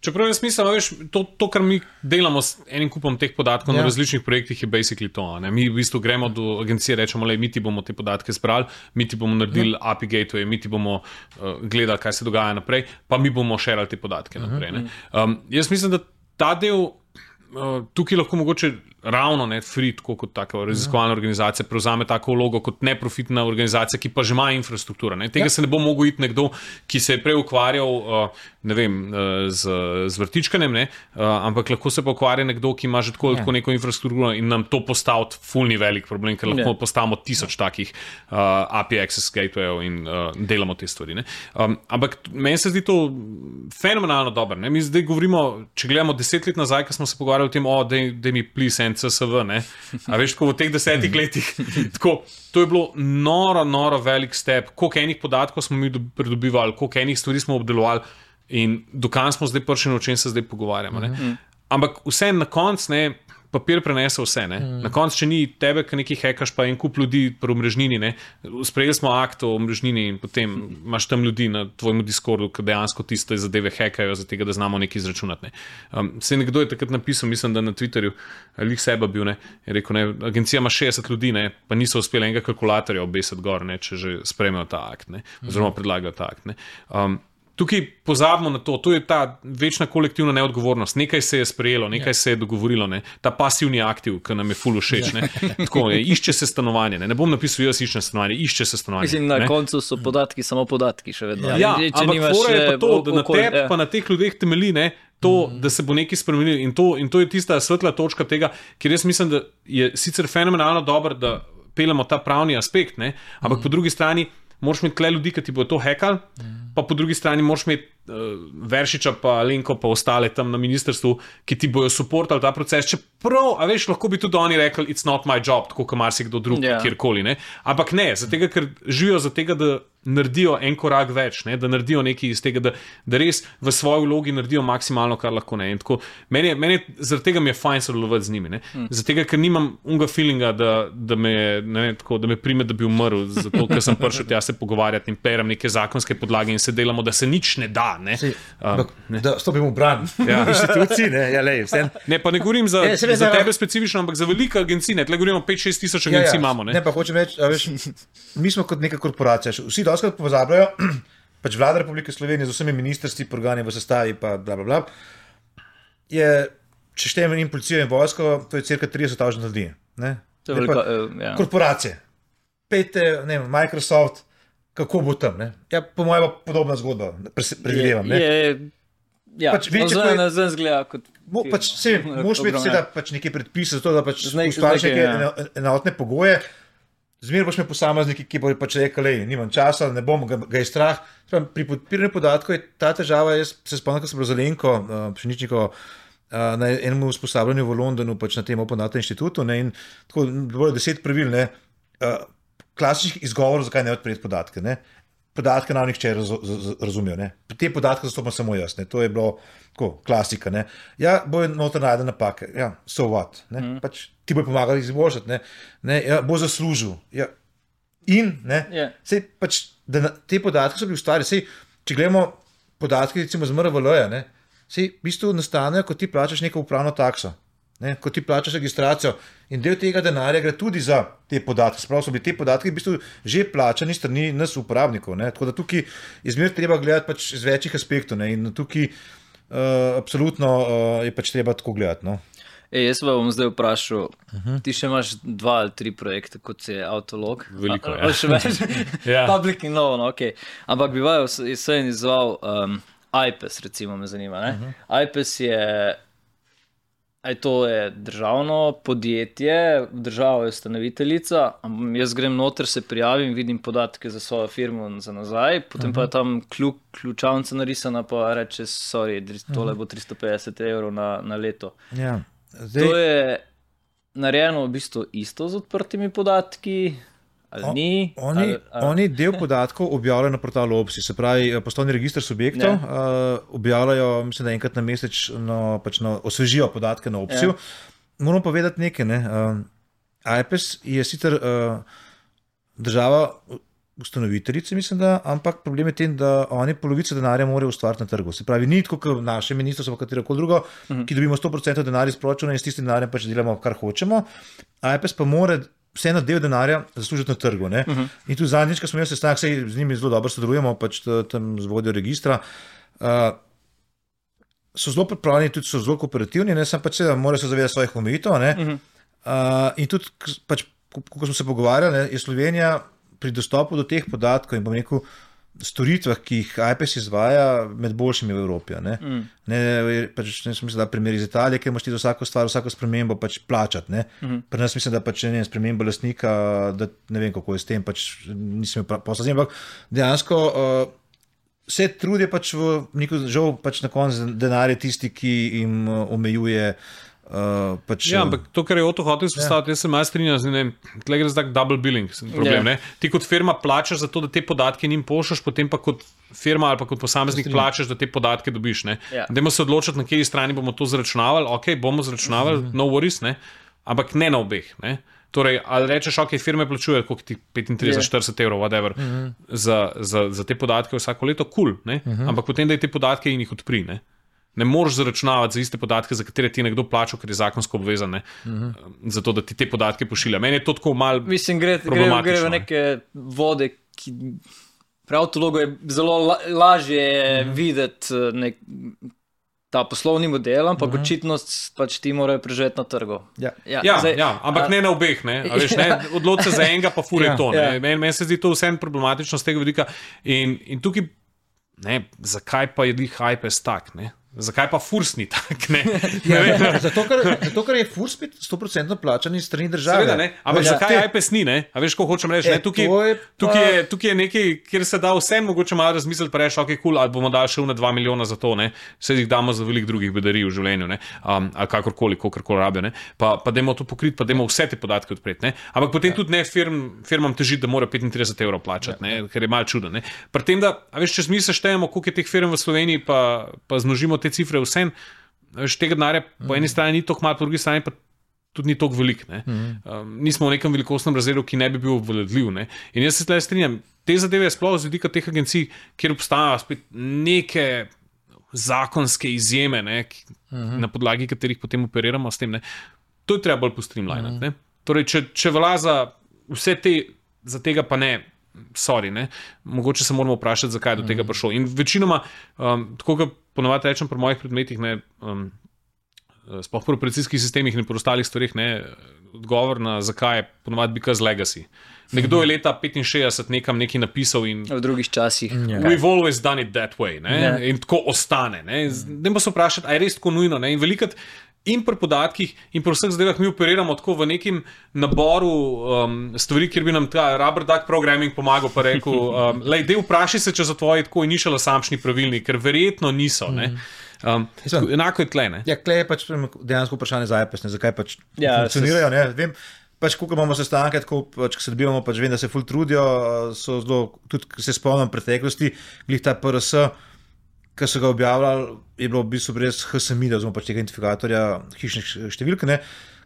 Čeprav je smisel, veš, to, kar mi delamo s enim kupom teh podatkov na različnih projektih, je basically to. Mi v bistvu gremo do agencije, rečemo, mi ti bomo te podatke zbrali, mi ti bomo naredili API gateway, mi ti bomo gledali, kaj se dogaja naprej, pa mi bomo šerali te podatke naprej. Jaz mislim, da ta del tukaj lahko mogoče ravno Free, tako kot taka raziskovalna organizacija, prevzame tako vlogo kot neprofitna organizacija, ki pa že ima infrastrukturo. Tega se ne bo mogel iti nekdo, ki se je prej ukvarjal z vrtičkanjem, ampak lahko se pa ukvarja nekdo, ki ima že tako neko infrastrukturo in nam to postaviti fulni velik problem, ker lahko postavimo 1000 takih API access gatewayov in delamo te stvari. Ampak meni se zdi to fenomenalno dobro. Mi zdaj govorimo, če gledamo 10 let nazaj, ko smo se pogovarjali o tem, da mi please CSV, a veš, tako v teh 10 letih, tako, to je bilo noro velik step, koliko enih podatkov smo mi pridobivali, koliko enih stvari smo obdelovali in dokaj smo zdaj prišli, o čem se zdaj pogovarjamo. Ampak vse na koncu, papir prenese vse. Na koncu, če ni tebe, ki nekaj hekaš, pa en kup ljudi pri omrežnini, sprejeli smo akt o omrežnini in potem imaš tam ljudi na tvojem Discordu, ki dejansko tiste zadeve hekajo, za tega, da znamo nekaj izračunati. Se nekdo je takrat napisal, mislim, da na Twitterju, lih seba bil, je rekel, agencija ima 60 ljudi, pa niso uspeli enega kalkulatorja obesiti gor, če že sprejmejo ta akt, oziroma predlagajo ta akt. Tukaj pozabimo na to, to je ta večna kolektivna neodgovornost. Nekaj se je sprejelo, nekaj se je dogovorilo, ta pasivni aktiv, ki nam je ful všeč. Tako, išče se stanovanje. Ne bom napisal, jaz iščem stanovanje, išče se stanovanje. Mislim, na koncu so podatki samo podatki še vedno. Ampak fora je pa to, da na tebi pa na teh ljudeh temelji, to, da se bo nekaj spremenilo. In to je tista svetla točka tega, ker jaz mislim, da je sicer fenomenalno dobro, da peljemo ta pravni aspekt, ampak po drugi strani moraš imeti tle ljudi, ki ti bodo to hekali, pa po drugi strani moraš imeti Veršiča pa Lenko pa ostale tam na ministrstvu, ki ti bojo supportali ta proces, čeprav, a veš, lahko bi tudi oni rekli, it's not my job, tako kot marsikdo drug, kjerkoli, Ampak ne, zato ker živijo za tega, da naredijo en korak več, ne? Da naredijo nekaj iz tega, da res v svoji vlogi naredijo maksimalno, kar lahko. Ne? Tako, zaradi tega mi je fajn sodelovati z njimi. Zaradi tega, ker nimam unga feelinga, da me prime, da bi umrl, zato ker sem prišel tja se pogovarjati in perem neke zakonske podlage in se delamo, da se nič ne da. Ne? Da stopimo v bran inštitucij. Ne, pa ne govorim za tebe specifično, ampak za velike agencije. Tle govorimo 5-6 tisoč agencij imamo. Ne, pa hočem reči, mi smo kot neka korporacija. Vsi doskrat pozabljajo, pač vlada Republike Slovenije z vsemi ministrstvi, organi v sestavi, pa blablabla, je, če štejemo in policijo in vojsko, to je cirka 30,000 ljudi. Korporacije. Pejte, ne vem, Microsoft, kako bo tam? Ne? Ja, po mojem pa podobna zgodba, predvidevam. Ja, zelo zgleda kot... Moš imeti seveda pač neke predpise za to, da pač ustvarjaš neke enotne pogoje. Zmeraj boš imel posamezniki, ki bojo pač rekli, nimam časa, ne bom, ga je strah. Pri podpiranju podatkov je ta težava, jaz se spomnim, ko sem bil Zelenko Pšeničnikovo na enem usposabljanju v Londonu, pač na tem Open Data inštitutu, ne, in tako bilo 10 pravil, ne, klasičnih izgovorov, zakaj ne odpreti podatke. Ne. Podatke nam nihče razumijo. Ne. Te podatke zastopam samo jaz. Ne. To je bilo tako, klasika. Ne. Ja, bojo noter najde napake. Ja, so what. Ne. Pač ti bojo pomagali izboljšati. Ne. Ja, bo zaslužil. Ja. In, ne, sej pač, te podatke so bili ustvarjeni. Sej, če gledamo podatke, recimo z MRVL-ja, ne, sej v bistvu nastanejo, ko ti plačaš neko upravno takso. Ne, ko ti plačaš registracijo in del tega denarja gre tudi za te podatke. Spravo so bili te podatke v bistvu že plačani strani nas uporabnikov. Ne. Tako da tukaj izmer treba gledati pač z večjih aspektov. Ne. In tukaj absolutno je pač treba tako gledati. No. Jaz pa bom zdaj vprašal, ti še imaš 2 ali 3 projekte, kot je Autolog. Veliko, ja. Še več? Public in novo, no, ok. Ampak bi vajo se izval IPES, recimo me zanima. Ne? IPES je... To je državno podjetje, država je ustanoviteljica, jaz grem noter, se prijavim, vidim podatke za svojo firmo za nazaj, potem pa je tam ključavnica narisana, pa reče, sorry, tole bo 350 € na leto. Ja. To je narejeno v bistvu isto z odprtimi podatki, ali ni? Oni del podatkov objavljajo na portalu OPSI, se pravi poslovni register subjektov, objavljajo, mislim, da enkrat na mesečno pač osvežijo podatke na OPSI-ju. Moram povedati nekaj, ne. IPES je sicer država ustanoviteljice, mislim, da, ampak problem je tem, da oni polovico denarja morajo ustvariti na trgu. Se pravi, ni tako kot naše ministrstvo, katerokoli drugo, ki dobimo 100% denarja iz proračuna in s tistim denarjem pač delamo, kar hočemo. IPES pa mora vseeno del denarja zaslužiti na trgu. Ne? In tu zadnjič, ko smo imeli sestanek, saj z njimi zelo dobro sodelujemo, pač tam z vodjo registra, so zelo pripravljeni, tudi so zelo kooperativni, ne? Sam pač seveda morajo se zavedati svojih omejitev. In tudi, pač, ko smo se pogovarjali, ne, je Slovenija pri dostopu do teh podatkov in bom rekel, storitvah, ki jih IPES izvaja, med boljšimi v Evropi. Pač, mislim, da primer iz Italije, ker imaš ti za vsako stvar, vsako spremembo pač plačati. Pri nas mislim, da pač ne spremembo lastnika, da ne vem, kako je s tem, pač nisem posla z njim, ampak dejansko vse trud je pač v neko, žal pač na koncu denar je tisti, ki jim omejuje ampak to, kar je Oto hotel izpostaviti, jaz se malo strinjam, tle gre za tak double billing problem. Ti kot firma plačaš za to, da te podatke njim pošljaš, potem pa kot firma ali pa kot posameznik plačaš, da te podatke dobiš. Dajmo se odločiti, na kateri strani bomo to zračunavali. Ok, bomo zračunavali, no worries, ampak ne na obeh. Torej, ali rečeš, ok, firme plačujejo koliko ti 35-40 €, whatever, za te podatke vsako leto, cool, ampak potem daj te podatke in jih odpri. Ne moreš zaračunavati za iste podatke, za katere ti je nekdo plačal, ker je zakonsko obvezan, zato da ti te podatke pošilja. Meni je to tako malo problematično. Gre v neke vode, ki pri Autologu je zelo lažje videti ta poslovni model, ampak očitno pač ti morajo preživeti na trgu. Ampak ne na obeh. Odloči se za enega, pa fure to. Meni se zdi to vsem problematično z tega vidika. In tukaj, zakaj pa je IPES tak? zakaj pa furs ni tak? Zato, ker je furs 100% plačan iz strani države. Seveda, ne? Ampak zakaj iPes ni? A veš, ko hočem reči? Tukaj je nekaj, kjer se da vse mogoče malo razmisliti, pa reči, ok, cool, ali bomo dali še 2 milijona za to, vse jih damo za veliko drugih bedarij v življenju, ali kakorkoli rabijo, pa dajmo to pokriti, pa dajmo vse te podatke odpreti. Ampak potem tudi ne firmam težiti, da mora 35 € plačati, ker je malo čudno. Pri tem, da, a veš, če mi seštejemo, koliko je teh firm v Sloveniji, pa zmnožimo te cifre vsem, tega denarja po eni strani ni toliko malo, po drugi strani pa tudi ni toliko velik. Nismo v nekem velikostnem razredu, ki ne bi bil obvladljiv. In jaz se tukaj strinjam, te zadeve je sploh z vidika teh agencij, kjer obstajajo spet neke zakonske izjeme, na podlagi katerih potem operiramo s tem. To je treba bolj postreamlinati. Torej, če velja za vse te, za tega pa ne, sorry, mogoče se moramo vprašati, zakaj je do tega prišlo. In večinoma, tako kot ponovadi rečem pri mojih predmetih, sploh pri operacijskih sistemih in pri ostalih stvarih, odgovor na zakaj je ponovadi because legacy. Nekdo je leta 65 nekaj napisal in v drugih časih. We've always done it that way. In tako ostane. Dajmo se vprašati, a je res tako nujno. In velikrat in pri podatkih in pri vseh zadevah mi operiramo tako v nekem naboru stvari, kjer bi nam ta rubber duck programming pomagal, pa rekel, dej vprašaj se, če so tvoji tako initial assumption pravilni, ker verjetno niso. Enako je tle. Ja, tle je pač dejansko vprašanje za iPes, zakaj pač funkcionirajo. Vem, pač, koliko imamo sestanke, ko se dobivamo, pač vem, da se ful trudijo, so zelo, tudi se spomnim preteklosti, glih ta PRS, ki so ga objavljali, je bilo v bistvu brez HSMI, da pač tega identifikatorja hišnih številk,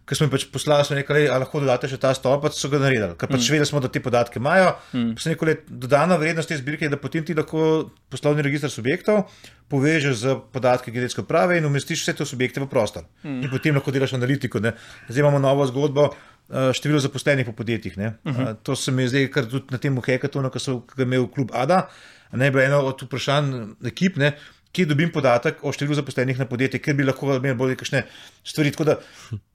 ker smo jim pač poslali, smo nekaj, ali lahko dodate še ta stolpec, so ga naredili, ker pač vedeli smo, da te podatke imajo. Pa se nekaj dodana vrednost te zbirke je, da potem ti lahko poslovni register subjektov povežeš z podatki geodetske uprave in umestiš vse te subjekte v prostor. In potem lahko delaš analitiko. Zdaj imamo novo zgodbo, število zaposlenih po podjetjih. To se mi je zdaj, kar tudi na tem hackathonu, ki so ga imel klub ADA, je bilo eno od vprašanj ekip, kje dobim podatek o številu zaposlenih na podjetje, ker bi lahko imeli bolj kakšne stvari. Tako da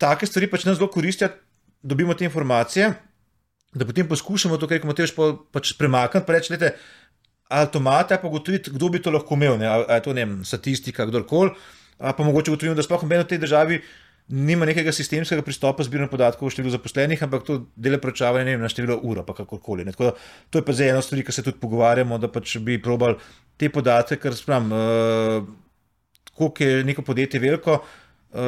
take stvari pač nam zelo koristijo, dobimo te informacije, da potem poskušamo to, kar Matevž pač premakniti, pa reči, ali to imate, pa ugotoviti, kdo bi to lahko imel, ali je to, statistika, kdorkoli, pa mogoče ugotovimo, da sploh v tej državi nima nekega sistemskega pristopa zbiranja podatkov o številu zaposlenih, ampak to dela preučavanje na število ur, pa kakorkoli. Tako da to je pa zdaj ena stvar, ki se tudi pogovarjamo, da pač bi probali te podatke, ker koliko je neko podjetje veliko,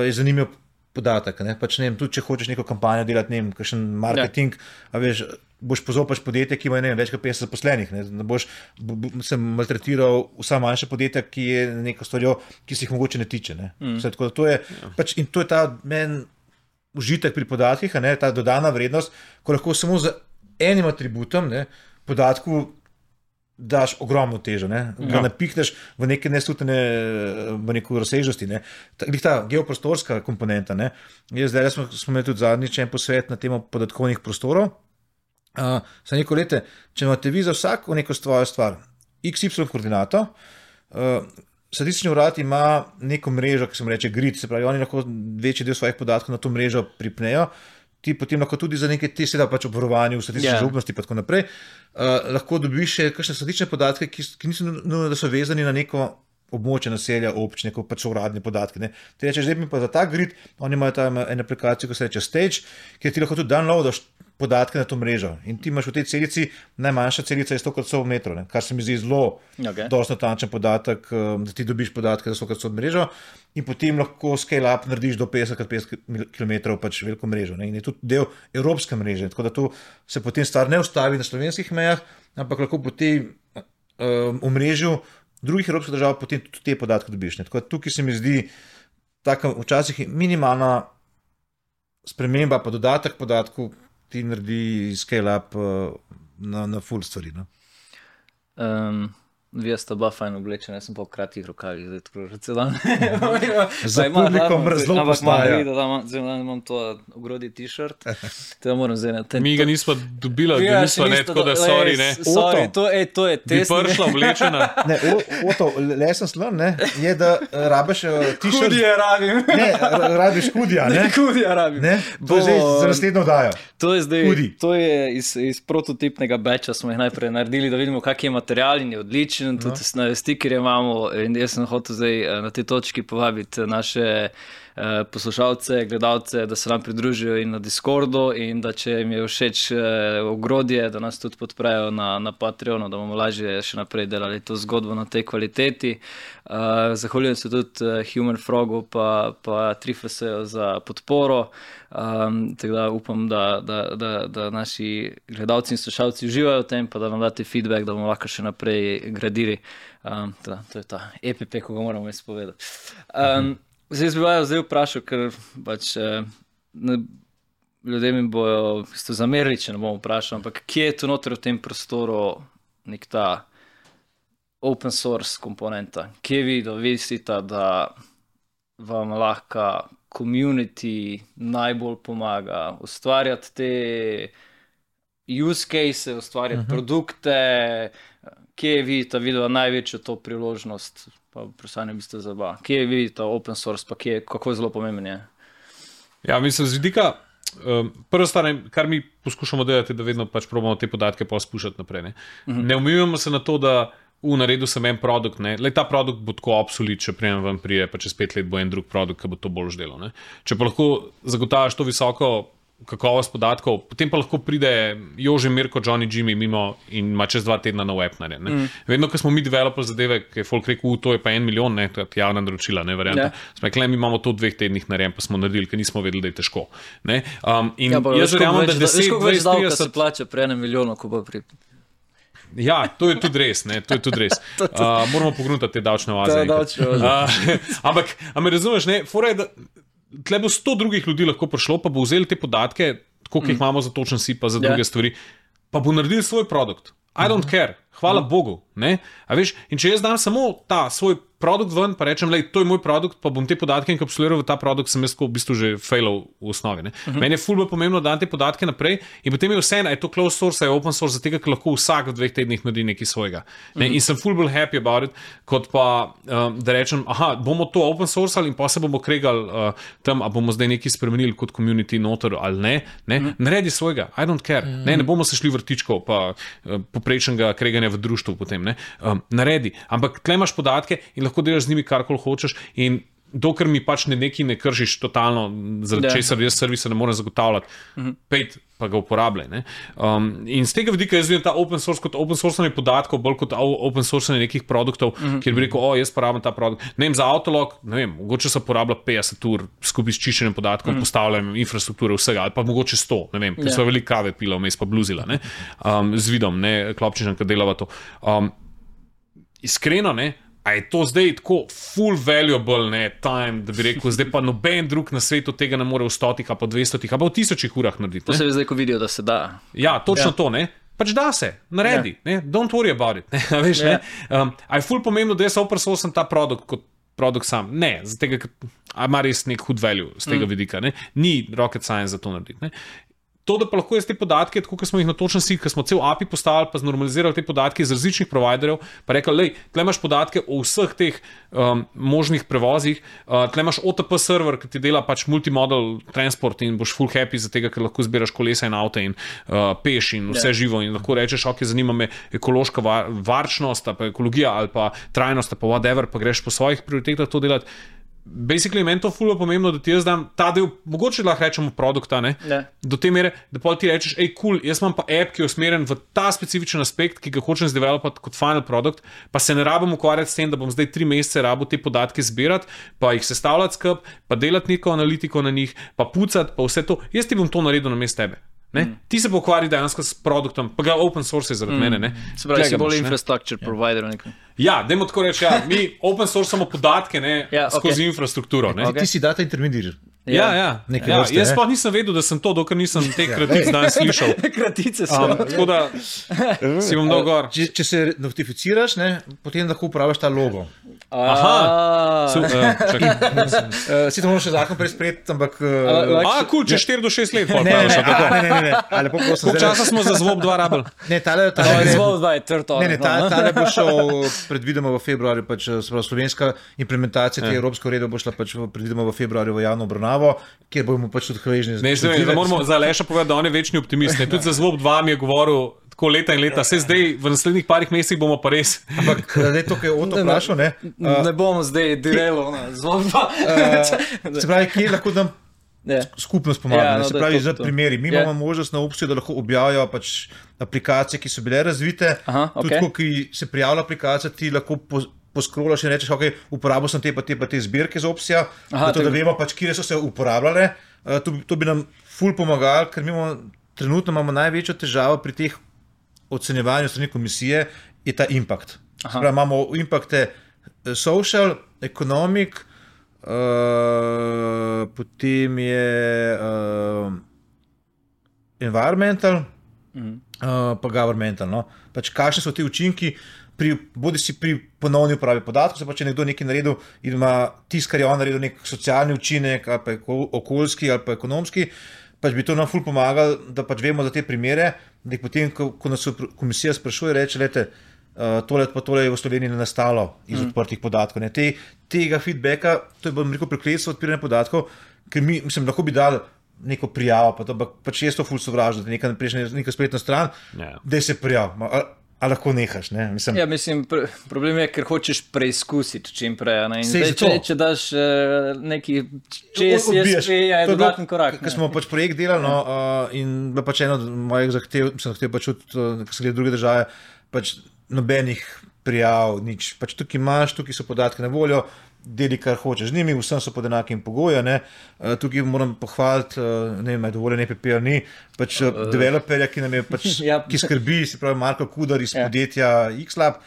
je zanimiv podatek. Pač tudi če hočeš neko kampanjo delati, kakšen marketing, veš, boš pozopal podjetje, ki ima več kot 50 zaposlenih. Ne boš se maltretiral vsa manjša podjetja, ki je neko stvarjo, ki se jih mogoče ne tiče. Tako da to je, pač, in to je ta meni užitek pri podatkih, ta dodana vrednost, ko lahko samo z enim atributom podatku daš ogromno težo, ga napihneš v neke neslutene, v neko razsežnosti. Ta geoprostorska komponenta. Zdaj smo imeli tudi zadnjič en posvet na temo podatkovnih prostorov. Za neko lete, če imate vi za vsako neko svojo stvar, XY koordinato, statistični urad ima neko mrežo, ki se mu reče grid, se pravi, oni lahko večji del svojih podatkov na to mrežo pripnejo, ti potem lahko tudi za neke te seveda pač obvarovanje v statistični zaupnosti pa tako naprej, lahko dobiš še kakšne statistične podatke, ki niso nujno, da so vezani na neko območje naselja, občine, ko pač so uradni podatki. Ti rečeš, zdaj mi pa za ta grid, oni imajo tam eno aplikacijo, ko se reče Stage, kjer ti lahko tudi downloadaš podatke na to mrežo. In ti imaš v tej celici, najmanjša celica je 100x100 metrov, kar se mi zdi zelo dosti natančen podatek, da ti dobiš podatke za 100x100 mrežo in potem lahko scale up narediš do 50x50 km pač veliko mrežo. In je tudi del evropske mreže, tako da to se potem stvar ne ustavi na slovenskih mejah, ampak lahko po tej omrežju drugih evropskih držav potem tudi te podatke dobiš. Tako da tukaj se mi zdi taka včasih minimalna sprememba, pa dodatek podatkov ti naredi scale up na full stvari. Vi ste oba fajn oblečeni, jaz sem pa v kratkih rokavih, zdaj tako že cel dan. Za publikom razlog postaja. Zdaj imam to ogrodi t-shirt, teda moram zdaj Mi ga nismo dobila, tako da sorry, ne. Sorry, to je test. Bi prišla oblečena. Ne, Oto, lesen slon, je, da rabiš t-shirt. Hudija rabim. Ne, rabiš hudija, ne. Hudija rabim. Ne, to je zdaj za naslednjo dajo. To je zdaj, to je iz prototipnega batcha, smo jih najprej naredili, da vidimo, kak je material in je odličen. vključen, tudi na stikerje imamo in jaz sem hotel zdaj na tej točki povabiti naše poslušalce, gledalce, da se nam pridružijo in na Discordu in da če jim je všeč ogrodje, da nas tudi podprejo na Patreonu, da bomo lažje še naprej delali to zgodbo na tej kvaliteti. Zahvaljujem se tudi Human Frogu pa Trifaseju za podporo, tako da upam, da naši gledalci in slušalci uživajo v tem, pa da nam date feedback, da bomo lahko še naprej gradili. To je ta EPP, ko ga moramo izpovedati. Zdaj bi zdaj vprašal, ker pač ljudje mi bojo zamerili, če ne bomo vprašali, ampak kje je tu noter v tem prostoru nek ta open source komponenta? Kje vi dovisite, da vam lahko community najbolj pomaga ustvarjati te use case, ustvarjati produkte? Kje je vidite videla največjo to priložnost? Pa vprašanje biste za oba. Kje je vidite open source, pa kako je zelo pomemben je? Ja, mislim, z vidika, prvo stvar, kar mi poskušamo delati, da vedno pač probamo te podatke pa spuščati naprej. Ne umivamo se na to, da v naredu sem en produkt, ta produkt bo tako obsolit, če prijem ven prije, pa čez 5 let bo en drug produkt, ki bo to bolj delal. Če pa lahko zagotavljaš to visoko kakovost podatkov, potem pa lahko pride Jože, Mirko, Johnny, Jimmy mimo in ima čez 2 tedna nov app narejen. Vedno, ko smo mi developers zadeve, ki je folk rekel, to je pa 1 milijon, to je javna naročila, varianta. Smo rekli, mi imamo to v 2 tednih narejen, pa smo naredili, ker nismo vedeli, da je težko. Jaz verjamem, da 10, 20, 30 se plača pri 1 milijonu, ko bo pri... Ja, to je tudi res. Moramo pogruntati te davčne oaze. Ampak me razumeš, fora je, da tle bo 100 drugih ljudi lahko prišlo, pa bo vzeli te podatke, koliko jih imamo za točen si, pa za druge stvari, pa bo naredil svoj produkt. I don't care. Hvala Bogu. A veš, in če jaz dam samo ta svoj produkt ven, pa rečem, to je moj produkt, pa bom te podatke enkapsuliral v ta produkt, sem jaz v bistvu že failal v osnovi. Meni je ful bolj pomembno, da dam te podatke naprej in potem je vseeno, je to closed source, je open source, zato ker lahko vsak v 2 tednih naredi nekaj svojega. In sem ful bolj happy about it, kot pa da rečem, bomo to open source in pa se bomo kregali tam, a bomo zdaj nekaj spremenili kot community noter ali ne. Naredi svojega, I don't care. Ne bomo se šli vrtičkov pa poprečnega kreganja v društvu potem. Naredi, ampak tle imaš podatke in lahko delaš z njimi karkoli hočeš in dokler mi pač nekaj ne kršiš totalno, zaradi česar jaz servisa ne morem zagotavljati, pejt pa ga uporabljaj. In z tega vidika jaz vidim ta open source kot open source podatkov, bolj kot open source nekih produktov, kjer bi rekel, jaz porabim ta produkt. Za Autolog, mogoče se porablja 50 ur skupaj s čiščenjem podatkov, postavljanjem infrastrukture vsega, ali pa mogoče 100, ker so veliko kave pila vmes pa bluzila, z vidom, Klopčičem, ki delava to. Iskreno, a je to zdaj tako full valuable time, da bi rekel, zdaj pa noben drug na svetu tega ne more v 100, pa 200, pa v 1000 urah narediti. To se zdaj, ko vidijo, da se da. Ja, točno to, pač da se, naredi, don't worry about it. Veš, a je full pomembno, da jaz open source ta produkt kot produkt sam. Ne, zato tega, ima res nek hud value z tega vidika. Ni rocket science za to narediti. To, da pa lahko jaz te podatke, tako kot smo jih na točen si, ker smo cel API postavili, pa znormalizirali te podatke iz različnih providerjev, pa rekli, tle imaš podatke o vseh teh možnih prevozih, tle imaš OTP server, ki ti dela pač multimodal transport in boš full happy za tega, ker lahko zbiraš kolesa in avte in peš in vse živo in lahko rečeš, zanima me ekološka varčnost, pa ekologija ali pa trajnost, pa whatever, pa greš po svojih prioritetah to delati. Basically, meni to fulno pomembno, da ti jaz dam ta del, mogoče lahko rečemo produkta, do te mere, da pa ti rečeš, cool, jaz imam pa app, ki je usmerjen v ta specifičen aspekt, ki ga hočem zdevelopati kot final produkt, pa se ne rabim ukvarjati s tem, da bom zdaj 3 mesece rabo te podatke zbirati, pa jih sestavljati skup, pa delati neko analitiko na njih, pa pucati, pa vse to. Jaz ti bom to naredil namesto tebe. Ti se pokvari dejansko s produktom, pa ga open source je zaradi mene. Se pravi, si bolj infrastructure provider. Ja, dajmo tako reči, mi open source samo podatke skozi infrastrukturo. Ti si data intermediar. Jaz pa nisem vedel, da sem to, dokler nisem te kratice danes slišal. Kratice so. Tako da si bom dal gor. Če se notificiraš, potem lahko uporabiš ta logo. Sicer moramo še zakon presprejeti, ampak... Če 4 do 6 let. Ne. Lepo prosim. Koliko časa smo za Zvob 2 rabili? Ne, tale Zvob 2 je trto. Ne, tale bo šel predvidoma v februarju, pač slovenska implementacija te evropske uredbe bo šla pač predvidoma v februarju v javno obravnavo, kjer bomo pač tudi hvaležni. Ne, da moramo za Aleša povedati, da on je večni optimist. Tudi za Zvob 2 mi je govoril tako leta in leta, se zdaj v naslednjih parih mesecih bomo pa res. Ampak zdaj to, kaj je Oto vprašal, ne? Ne bomo zdaj direlo na Zvob 2. Se pravi, kje lahko nam skupnost pomaga, se pravi, za primeri. Mi imamo možnost na opciju, da lahko objavijo pač aplikacije, ki so bile razvite, tudi ko ki se prijavlja aplikacija, ti lahko poskrolaš in rečeš, ok, uporabil sem te pa te zbirke z opcija, da vemo pač, kje so se uporabljale. To bi nam ful pomagali, ker mi trenutno imamo največjo težavo pri teh ocenjevanju strani komisije, je ta impact. Spravi, imamo impacte social, economic, potem je environmental, pa governmental. No? Pač kakšne so ti učinki, bodi si pri ponovni uporabi podatkov, se pa če nekdo nekaj naredil in ima tisto, kar je on naredil, nek socialni učinek, ali pa okoljski, ali pa ekonomski, pač bi to nam ful pomagal, da pač vemo za te primere, da jih potem, ko nas komisija sprašuje, reče, lete, tole je v Sloveniji nastalo iz odprtih podatkov. Ne. Tega feedbacka, to je bom rekel prekletstvo odpiranja podatkov, ker mi, mislim, lahko bi dali neko prijavo, pa to, pač je to ful sovražno, da neka spletna stran, da se prijav. A lahko nehaš, ne? Mislim, problem je, ker hočeš preizkusiti čim prej. Če daš neki čez JSP, je dodaten korak. Ker smo pač projekt delali in bila pač ena od mojih zahtev, sem zahtev pač čuti, ker se gleda druge države, pač nobenih prijav, nič. Pač tukaj imaš, tukaj so podatke na voljo, deli kar hočeš z njimi, vsem so pod enakim pogojem. Tukaj moram pohvaliti, ne vem, je dovoljen EPP ali ni, pač developerja, ki nam je pač, ki skrbi, se pravi Marko Kudar iz podjetja Xlab,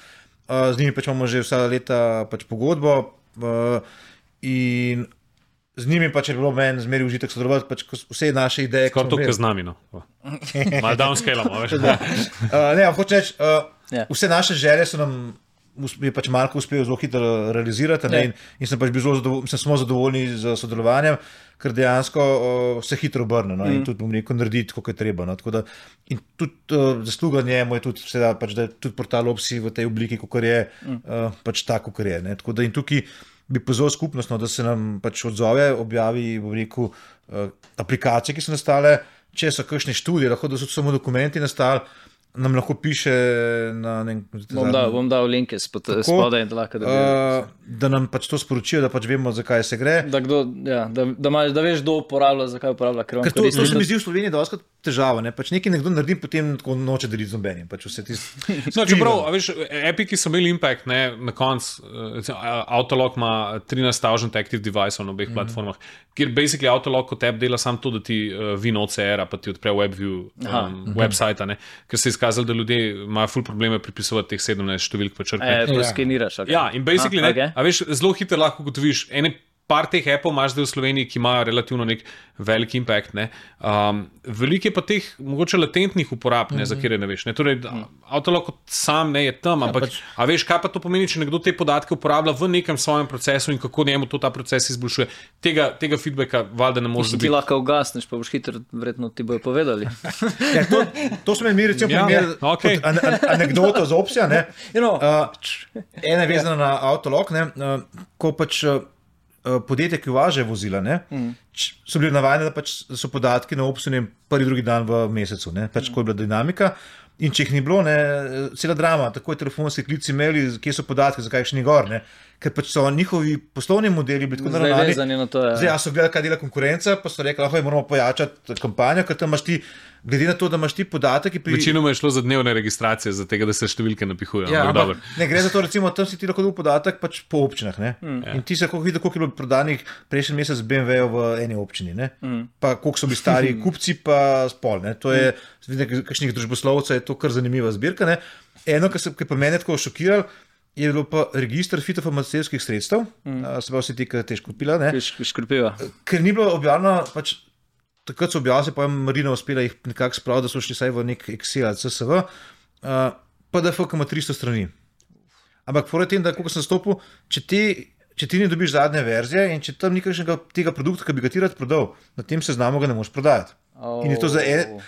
z njimi pač imamo že vsa leta pač pogodbo in z njimi pač je bilo meni zmeri užitek sodelovati, pač vse naše ideje. Skoro tukaj z nami, no. Malo downscalamo, veš. Ne, hoče reči, vse naše želje so nam je pač Marko uspel zelo hitro realizirati in sem pač bil zelo zadovoljni z sodelovanjem, ker dejansko se hitro obrne in tudi bom rekel narediti, kako je treba. No. Da, in tudi zasluga njemu je tudi, pač, da je tudi portal Opsi v tej obliki, kakor je, pač tako, kakor je. Ne. Tako da in tukaj bi pozval skupnost, no, da se nam pač odzove, objavi, bom rekel, aplikacije, ki so nastale, če so kakšne študije, lahko da so samo dokumenti nastali, nam lahko piše na bom dal linke spodaj in da lahko da nam pač to sporočijo, da pač vemo, zakaj se gre. Da veš, kdo uporablja, zakaj uporablja. Ker to se mi zdi v Sloveniji doskrat težava. Ne? Pač nekaj nekdo naredi, potem tako noče deliti z nobenim. Pač čeprav, veš, Epiki so imeli impact, ne, na koncu. Autolog ima 13,000 active deviceov na obeh platformah, kjer basically Autolog kot app dela samo to, da ti vin OCR-a, pa ti odpre WebView website, ker se je izkazalo, da ljudje imajo ful probleme pripisovati teh 17 številk pa črke. To skeniraš. Ja, in basically, a veš, zelo hitro lahko ugotoviš, par teh appov imaš zdaj v Sloveniji, ki imajo relativno nek velik impact. Veliko je pa teh mogoče latentnih uporab, za kjer ne veš. Torej, Autolog sam je tam, ampak a veš, kaj pa to pomeni, če nekdo te podatke uporablja v nekem svojem procesu in kako njemu to ta proces izboljšuje. Tega feedbacka valjda ne moreš dobiti. Ti lahko ugasneš, pa boš hitro, verjetno ti bojo povedali. To smo imeli recimo primer anekdoto z Opsija. Ena je vezana na Autolog, ko pač podjetja, ki uvažajo vozila, so bili navajeni, da pač so podatki na Opsiju prvi, drugi dan v mesecu, pač ko je bila dinamika. In če jih ni bilo, cela drama, tako je telefonski klici imeli, kje so podatki, zakaj še ni gor, ker pač so njihovi poslovni modeli bili tako naravnani. Zdaj so gledali, kaj dela konkurenca, pa so rekli, lahko moramo pojačati kampanjo, ker tam imaš ti, glede na to, da imaš ti podatek. Večinoma je šlo za dnevne registracije, za tega, da se številke napihujejo. Ja, ne gre za to, recimo, tam si ti lahko dobil podatek pač po občinah. In ti se lahko vidi, koliko je bilo prodanih prejšnji mesec BMW-jev v eni občini. Pa koliko so bili stari kupci, pa spol. To je, kakšnih družboslovcev je to kar zanimiva zbirka. Eno, kar pa mene tako šokiral, je bilo pa registr fitofarmacevtskih sredstev, se pa vsi ti, ki te škropijo. Ker ni bilo objavljeno, pač takrat so objavili, pa je Marina uspela jih nekako spraviti, da so šli saj v nek Excel ali CSV, PDF ima 300 strani. Ampak fora tem, da koliko sem stopil, če če ti ne dobiš zadnje verzije in če tam ni kakšnega tega produkta, ki bi ga ti rad prodal, na tem seznamu ga ne moreš prodajati. In je to za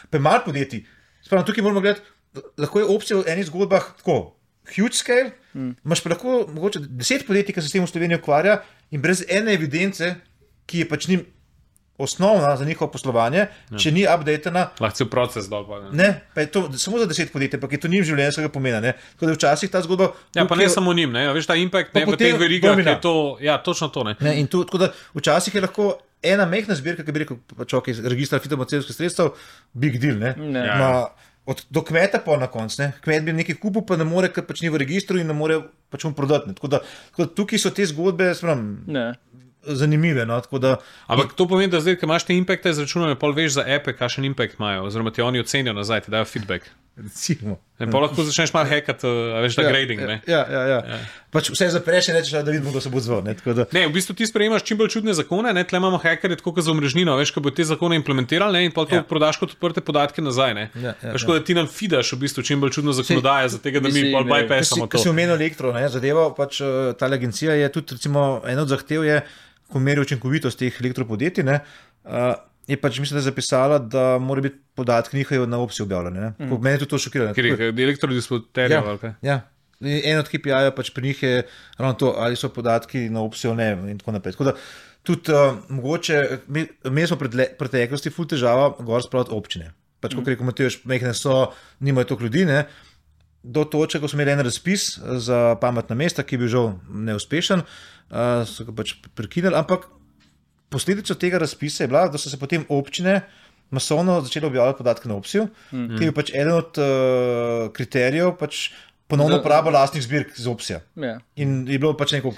pa malo podjetij. Spravno, tukaj moramo gledati, lahko je opcija v enih zgodbah tako, huge scale, imaš pa lahko mogoče 10 podjetij, ki se s tem v Sloveniji ukvarja in brez ene evidence, ki je pač njim osnovna za njihovo poslovanje, če ni updatena. Lahko je proces dol. Ne, pa je to samo za 10 podjetij, pa je to njim življenjskega pomena. Ne? Tako da včasih ta zgodba... Ja, pa ne samo njim, ne? Veš, ta impact, ne, v teh verigah je to, ja, točno to, ne. In tu, tako da včasih je lahko ena mehna zbirka, ki bi rekel, pač ok, registra fitofarmacevtskih sredstev, big deal, ne? Do kmeta pa na koncu, ne? Kmet bi nekaj kupil, pa ne more, ker pač ni v registru in ne more pač mu prodati. Tako da tukaj so te zgodbe, zanimive. No? Ampak to pomeni, da zdaj, ko imaš te impacte izračunane, pol veš za epe, kakšen impact imajo, oziroma ti oni ocenijo nazaj, ti dajo feedback. Recimo. Pa lahko začneš malo hackati, veš, da grading, ne? Ja. Pač vse zapreš in rečeš, da vidimo, kdo se bo odzval. Ne, v bistvu ti sprejemaš čim bolj čudne zakone, ne? Tle imamo hackerje tako kot za omrežnino, veš, ko bo te zakone implementirali, ne? In pa to prodaš kot odprte podatke nazaj, ne? Veš, da ti nam feedaš v bistvu čim bolj čudno zakonodaje, za tega, da mi pol bypassamo to. Ko si omenil elektro, ne? Zadeva, pač ta agencija je tudi, recimo, eno od zahtev je, ko meri učinkovitost teh elektropodjetij, ne? Je pač, mislim, da je zapisala, da mora biti podatki njihovi na opciji objavljeni. Mene je tudi to šokiralo. Ker je elektrodisputerjev, ali kaj? Ja. En od KPI-jev pač pri njih je ravno to, ali so podatki na opciji ali ne in tako naprej. Tako da tudi mogoče, mi smo preteklosti ful težava gor spraviti občine. Pač, kot rekel Matevž, mehne so, nimajo toliko ljudi, ne? Do točke, ko smo imeli en razpis za pametna mesta, ki je bil žal neuspešen, so ga pač prekinili, ampak posledica tega razpisa je bila, da so se potem občine masovno začele objavljati podatke na opciju, ki je pač eden od kriterijev pač ponovno uporaba lastnih zbirk z opcija. In je bilo pač neko...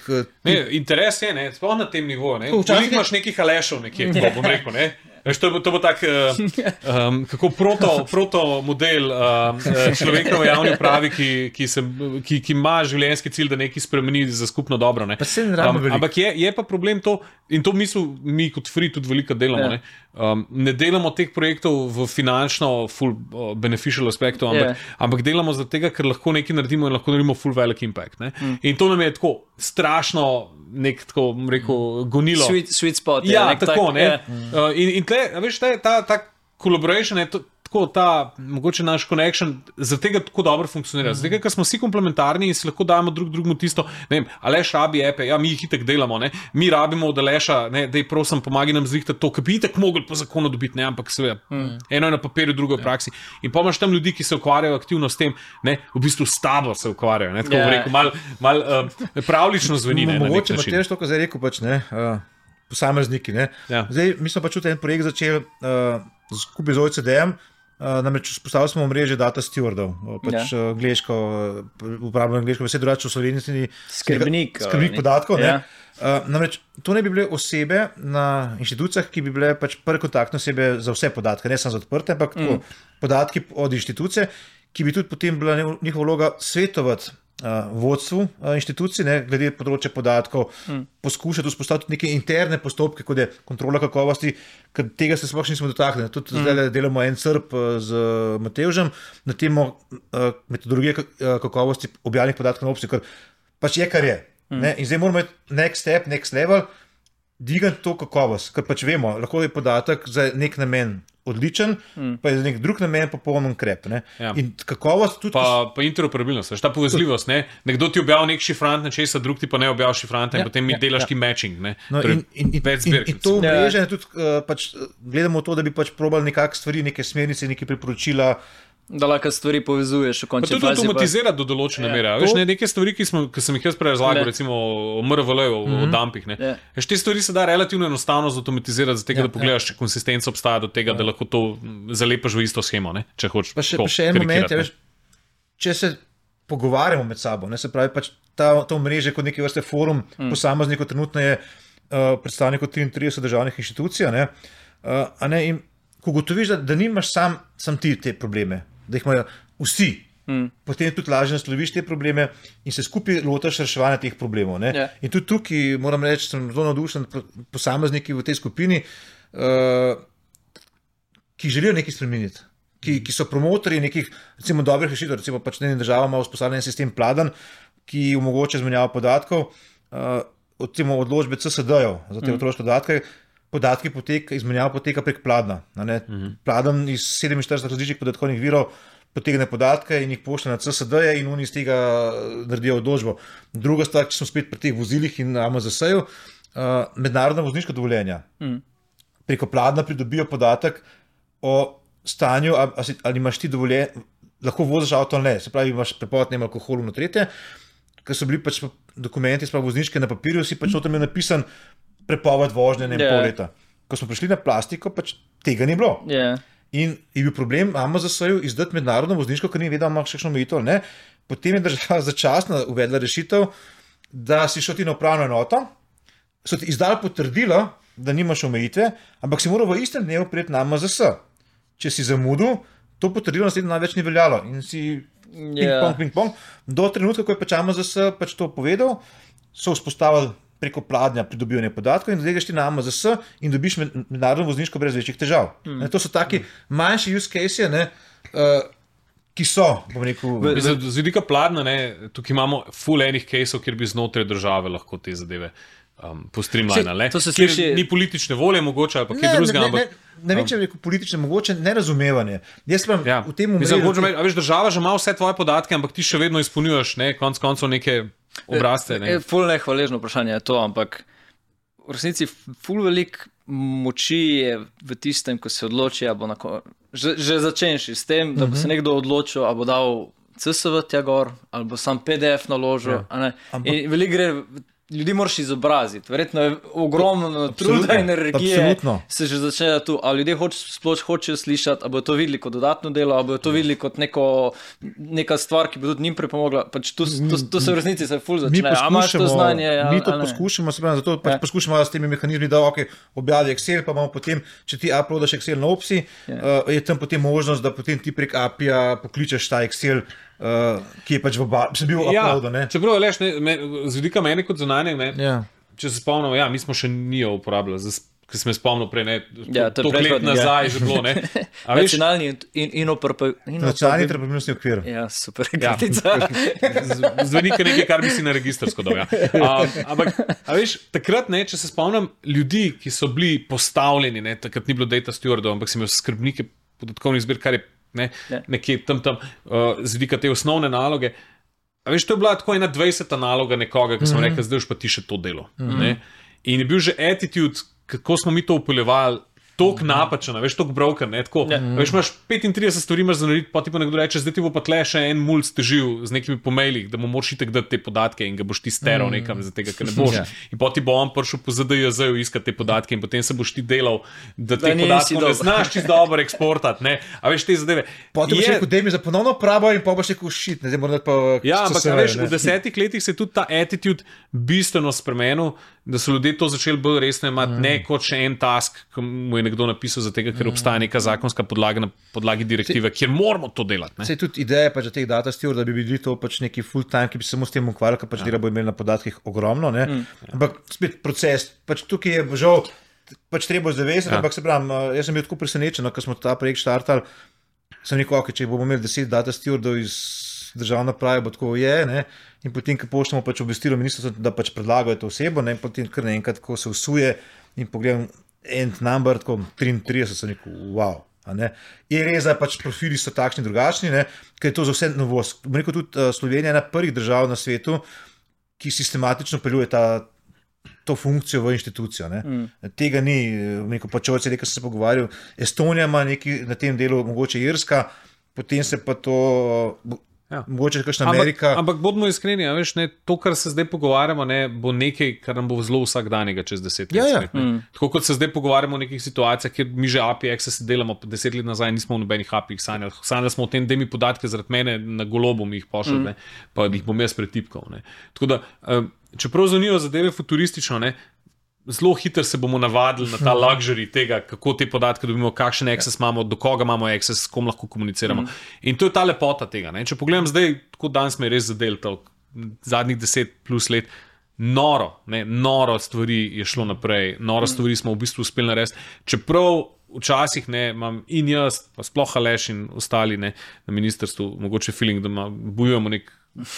Interes je, ne, sploh na tem nivoju, ne. Včasih imaš nekih alešov nekje, bom rekel, ne. Veš, to bo tak kako proto model človekove javne upravi, ki ima življenjski cilj, da nekaj spremeni za skupno dobro. Ne? Ampak je pa problem to, in to mi kot Free tudi veliko delamo. Ne delamo teh projektov v finančno full beneficial aspektu, ampak delamo zaradi tega, ker lahko nekaj naredimo in lahko naredimo full velik impact. Ne? In to nam je tako strašno nek, tako rekel, gonilo. Sweet spot. Ja, tako, ne. In tle, veš, ta collaboration je tako, mogoče naš connection zaradi tega tako dobro funkcionira. Zaradi tega, ker smo vsi komplementarni in si lahko dajemo drugemu tisto, ne vem, Aleš rabi epe, ja, mi jih itak delamo, ne. Mi rabimo od Aleša, ne, dej prosim, pomagi nam zrihtati to, ki bi itak mogli po zakonu dobiti, ne, ampak seveda, eno je na papirju, drugo je v praksi. In pa imaš tam ljudi, ki se ukvarjajo aktivno s tem, ne, v bistvu s tabo se ukvarjajo, ne, tako rekel, malo pravlično zveni, ne, na nek način. Mogoče Matevž to, kar zdaj rekel, pač, ne, posamezniki, ne. Zdaj, mi smo pač tudi en projekt začeli skupaj z OECD-em, namreč postavili smo omrežje data stewardov, pač angleško, uporabljamo angleško besed, drugače v slovenščini skrbnik podatkov, ne. Namreč to ne bi bile osebe na inštitucijah, ki bi bile pač prve kontaktne osebe za vse podatke, ne samo za odprte, ampak podatki od inštitucije, ki bi tudi potem bila njihova vloga svetovati vodstvu inštitucij, ne, glede področja podatkov, poskušati vzpostaviti neke interne postopke, kot je kontrola kakovosti, ker tega se sploh nismo dotaknili. Tudi zdaj delamo en CRP z Matevžem na temo metodologije kakovosti objavljenih podatkov na opciji, ker pač je, kar je. Ne? In zdaj moramo imeti next step, next level, dvigati to kakovost, ker pač vemo, lahko je podatek za nek namen odličen, pa je za nek drug namen popolnoma krep. Ja. In kakovost tudi... Pa interoperabilnost, ta povezljivost. Ne? Nekdo ti objavi nek šifrant nečesa, drug ti pa ne objavi šifranta in potem mi delaš ti matching. Ne? No, in to mreže tudi pač, gledamo to, da bi pač probali nekak stvari, neke smernice, neke priporočila, da lahko stvari povezuješ v končni fazi. Pa tudi automatizirati do določene mere. Veš, neke stvari, ki sem jih jaz prej razlagal, recimo o MRVL-ju, o dumpih. Veš, te stvari se da relativno enostavno zautomatizirati, zato da pogledaš, če konsistenca obstaja do tega, da lahko to zalepaš v isto shemo, ne? Če hočeš. Pa še en moment, veš, če se pogovarjamo med sabo, ne, se pravi, pač to mreže kot neke vrste forum, posameznikov trenutno je predstavnikov 33 državnih inštitucij, ne, in ko gotoviš, da nimaš sam ti te probleme, da jih imajo vsi, potem tudi lažje nasloviš te probleme in se skupaj lotaš reševanja teh problemov. Ne? In tudi tukaj, moram reči, sem zelo navdušen posamezniki v tej skupini, ki želijo nekaj spremeniti, ki so promotorji nekih, recimo, dobrih rešitev, recimo pač država ima vzpostavljen sistem Pladan, ki omogoča izmenjavo podatkov, odločbe CSD-jev za te otroške podatki izmenjava poteka prek Pladna. Pladen iz 47 različnih podatkovnih virov potegne podatke in jih pošlje na CSD-je in oni iz tega naredijo odločbo. Druga stvar, če smo spet pri teh vozilih in AMZS-ju, mednarodna vozniška dovoljenja. Preko Pladna pridobijo podatek o stanju, ali imaš ti dovoljenje, lahko voziš avto ali ne. Se pravi, imaš prepoved alkoholu na tretje, ker so bili pač dokumenti, sprav vozniške na papirju, si pač noter imel napisan prepoved vožnje pol leta. Ko smo prišli na plastiko, pač tega ni bilo. In je bil problem AMZS-ju izdati mednarodno vozniško, ker ni vedel, imaš kakšno omejitev ali ne. Potem je država začasno uvedla rešitev, da si šel ti na upravno enoto, so ti izdali potrdilo, da nimaš omejitve, ampak si moral v istem dnevu priti na AMZS. Če si zamudil, to potrdilo naslednjo največ ni veljalo. In si ping-pong. Do trenutka, ko je pač AMZS pač to povedal, so vzpostavili preko Pladnja pridobivanje podatkov in zdaj greš ti na AMZS in dobiš mednarodno vozniško brez večjih težav. To so taki manjši use case, ki so, bom rekel... Z vidika Pladna, tukaj imamo full enih caseov, kjer bi znotraj države lahko te zadeve postreamlinali. To se sliši... Ni politične volje mogoče, ali pa kaj drugega, Ne vem, če je rekel politične, mogoče nerazumevanje. Jaz sem v tem umrl... Veš, država že ima vse tvoje podatke, ampak ti še vedno izpolnjuješ, konec koncev neke obrazce. Ful nehvaležno vprašanje je to, ampak v resnici ful velik moči je v tistem, ko se odloči, že začenši s tem, da bo se nekdo odločil, ali bo dal CSV tja gor, ali bo sam PDF naložil. In veliko gre... Ljudi moraš izobraziti, verjetno je ogromno truda in energije, se že začne tu, a ljudje sploh hočejo slišati, a bodo to videli kot dodatno delo, a bodo to videli kot neka stvar, ki bo tudi njim pripomogla, pač to se v resnici se ful začne, a imaš to znanje? Mi to poskušamo, zato pač poskušamo s temi mehanizmi, da objavi Excel, pa imamo potem, če ti uploadaš Excel na Opsi, je tam potem možnost, da potem ti prek API-ja pokličeš ta Excel, ki je pač bil uploadan. Čeprav je z vidika mene kot zunanje, če se spomnimo, mi smo še nijo uporabljali, ker sem spomnil prej, to let nazaj že bilo. Nacionalni interoperabilnostni okvir. Ja, super kratica. Zveni nekaj, kar bi si na registrsko dal. Ampak, veš, takrat, če se spomnim, ljudi, ki so bili postavljeni, takrat ni bilo data stewardov, ampak si imel skrbnike podatkovnih zbir, kar je nekje tam z vidika te osnovne naloge. A veš, to je bila tako ena 20. naloga nekoga, ki smo rekli, zdaj už pa ti še to delo. In je bil že attitude, kako smo mi to upeljevali, toliko napačen, veš, toliko broken, veš, imaš 35 stvari imaš za narediti, pa ti pa nekdo reče, zdaj ti bo pa tle še en mulj stežil z nekimi pomailih, da mu moraš itek dati te podatke in ga boš ti steral nekam za tega, ker ne boš. In potem ti bo on prišel po ZDJZ-ju iskati te podatke in potem se boš ti delal, da te podatke ne znaš čisto dobro eksportati, a veš, te zadeve. Potem boš rekel, daj mi za ponovno pravo in pa boš rekel, shit, zdaj moram pa... Ja, ampak veš, v 10 letih se je tudi ta attitude bistveno spremenil, da so ljudje to začeli bolj resno imati, ne kot še en task, ki mu je nekdo napisal za tega, ker obstaja neka zakonska podlaga na podlagi direktive, kjer moramo to delati. Sej tudi ideja pač za teh data steward, da bi bili to pač neki full time, ki bi se samo s tem ukvarjali, ker pač dela bo imeli na podatkih ogromno, ampak spet proces, pač tukaj je žal, pač treba zavezati, ampak se pravim, jaz sem bil tako presenečen, ko smo ta projekt štartali, sem rekel, če bomo imeli 10 data stewardov iz državna prava, bo tako in potem, ko pošljemo pač obvestilo ministrstvo, da pač predlagajo to osebo, in potem kar naenkrat, ko se usuje in pogledam end number, tako 33, sem rekel, wow. Je res, da pač profili so takšni drugačni, ker je to za vse novost. Bom rekel, tudi Slovenija je ena prvih držav na svetu, ki sistematično peljuje to funkcijo v inštitucijo. Tega ni, pač ovce, nekaj sem se pogovarjal, Estonija ima nekaj na tem delu, mogoče Irska, potem se pa to... Mogoče kakšna Amerika. Ampak bodimo iskreni, veš, to, kar se zdaj pogovarjamo, bo nekaj, kar nam bo zelo vsakdanjega čez 10 let. Tako kot se zdaj pogovarjamo o nekih situacijah, kjer mi že API access delamo 10 let nazaj, nismo v nobenih API-jih sanjali. Sanjali smo o tem, da mi podatke zaradi mene na golobu mi jih pošljali, pa jih bom jaz pretipkal. Tako da, čeprav zanijo zadeve futuristično, zelo hitro se bomo navadili na ta luxury tega, kako te podatke dobimo, kakšen access imamo, do koga imamo access, s kom lahko komuniciramo. In to je ta lepota tega. Če pogledam zdaj, tako danes me je res zadel zadnjih 10 plus let, noro stvari je šlo naprej, noro stvari smo v bistvu uspeli narediti. Čeprav včasih imam in jaz, pa sploh Aleš in ostali na ministrstvu, mogoče feeling, da bojujemo nek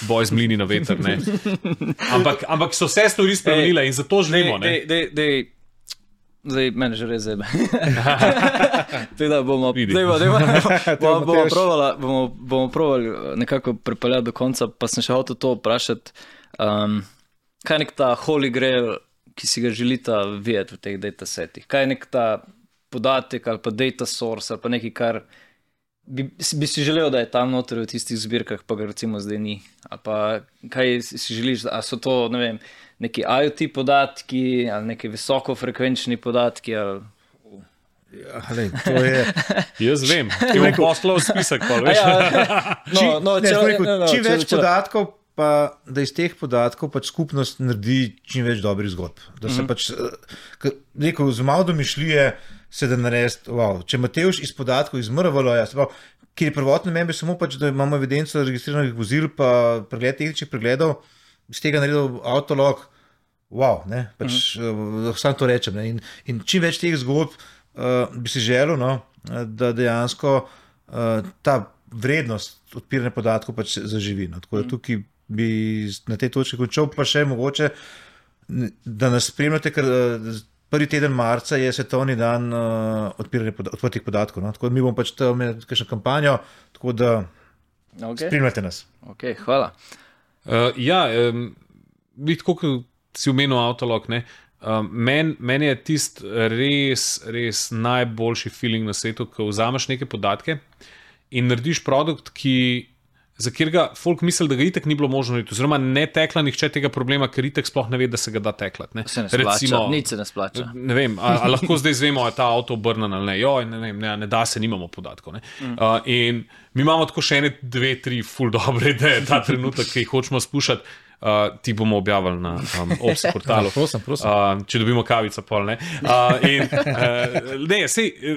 boj z mlini na veter. Ampak so vse stvari spremenile in zato želimo. Zdaj, meni že res zebe. Teda bomo probali nekako pripeljati do konca, pa sem še hotel to vprašati, kaj je nek ta holy grail, ki si ga želita videti v teh datasetih? Kaj je nek ta podatek ali pa data source ali pa nekaj, kar bi si želel, da je tam noter v tistih zbirkah, pa ga recimo zdaj ni? Ali pa kaj si želiš, a so to, ne vem, neki IoT podatki ali neki visokofrekvenčni podatki ali... To je... Jaz vem, ti bom poslal spisek, pa veš. Čim več podatkov, pa da iz teh podatkov pač skupnost naredi čim več dobrih zgodb. Da se pač, rekel, z malo domišljije se da narediti, če Matevž iz podatkov izmrvalo, kjer je prvotno namen samo pač, da imamo evidenco registriranih vozil, pa pregled tehničnih pregledov, iz tega naredil avtolog, sam to rečem. In čim več teh zgodb bi si želel, da dejansko ta vrednost odpiranja podatkov pač zaživi. Tako da tukaj bi na tej točki končal, pa še mogoče, da nas spremljate, ker prvi teden marca je svetovni dan odprtih podatkov. Tako da mi bomo pač tam imeli kakšno kampanjo, tako da spremljate nas. Ok, hvala. Tako si omenil avtolog, meni je tist res najboljši feeling na svetu, ko vzameš neke podatke in narediš produkt, za katerega folk misli, da ga itak ni bilo možno narediti, oziroma ne tekla nihče tega problema, ker itak sploh ne ve, da se ga da teklati. Se ne splača, nič se ne splača. Ne vem, a lahko zdaj zvemo, je ta avto obrnen ali ne. Ne da se, nimamo podatkov. In mi imamo tako še 1, 2, 3 ful dobre ideje, ta trenutek, ki jih hočemo spuščati. Ti bomo objavili na Ops portalu. Prosim. Če dobimo kavico, pol ne.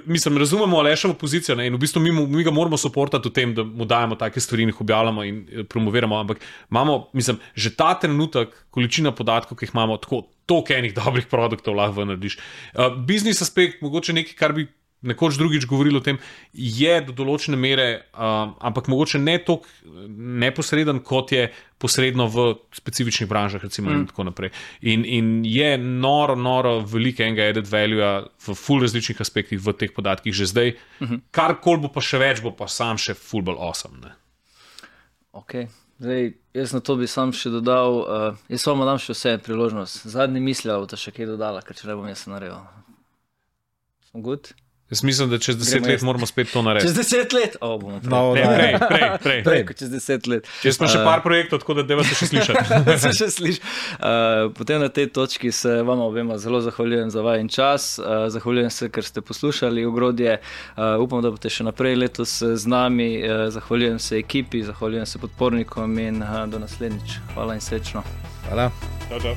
Mislim, razumemo Alešovo pozicijo in v bistvu mi ga moramo supportati v tem, da mu dajemo take stvari in jih objavljamo in promoviramo, ampak imamo, mislim, že ta trenutek, količina podatkov, ki jih imamo, toliko enih dobrih produktov lahko narediš. Biznis aspekt, mogoče nekaj, kar bi nekoč drugič govorili o tem, je do določene mere, ampak mogoče ne toliko neposreden, kot je posredno v specifičnih branžah, recimo in tako naprej. In je noro veliko enega added value v ful različnih aspektih v teh podatkih že zdaj. Karkoli bo pa še več, bo pa sam še ful bolj awesome. Ne? Ok, zdaj jaz na to bi sam še dodal, jaz vam dam še vse priložnost. Zadnji misli, ali bo to še kaj dodala, ker če ne bom jaz naredil. Sem good? Jaz mislim, da čez 10 let moramo spet to narediti. Čez 10 let? Bomo prej. Čez 10 let. Čez smo še par projektov, tako da deva se še slišati. Potem na tej točki se vama obema zelo zahvaljujem za vajen čas. Zahvaljujem se, ker ste poslušali Ogrodje. Upam, da boste še naprej letos z nami. Zahvaljujem se ekipi, zahvaljujem se podpornikom in do naslednjič. Hvala in srečno. Hvala. Čau.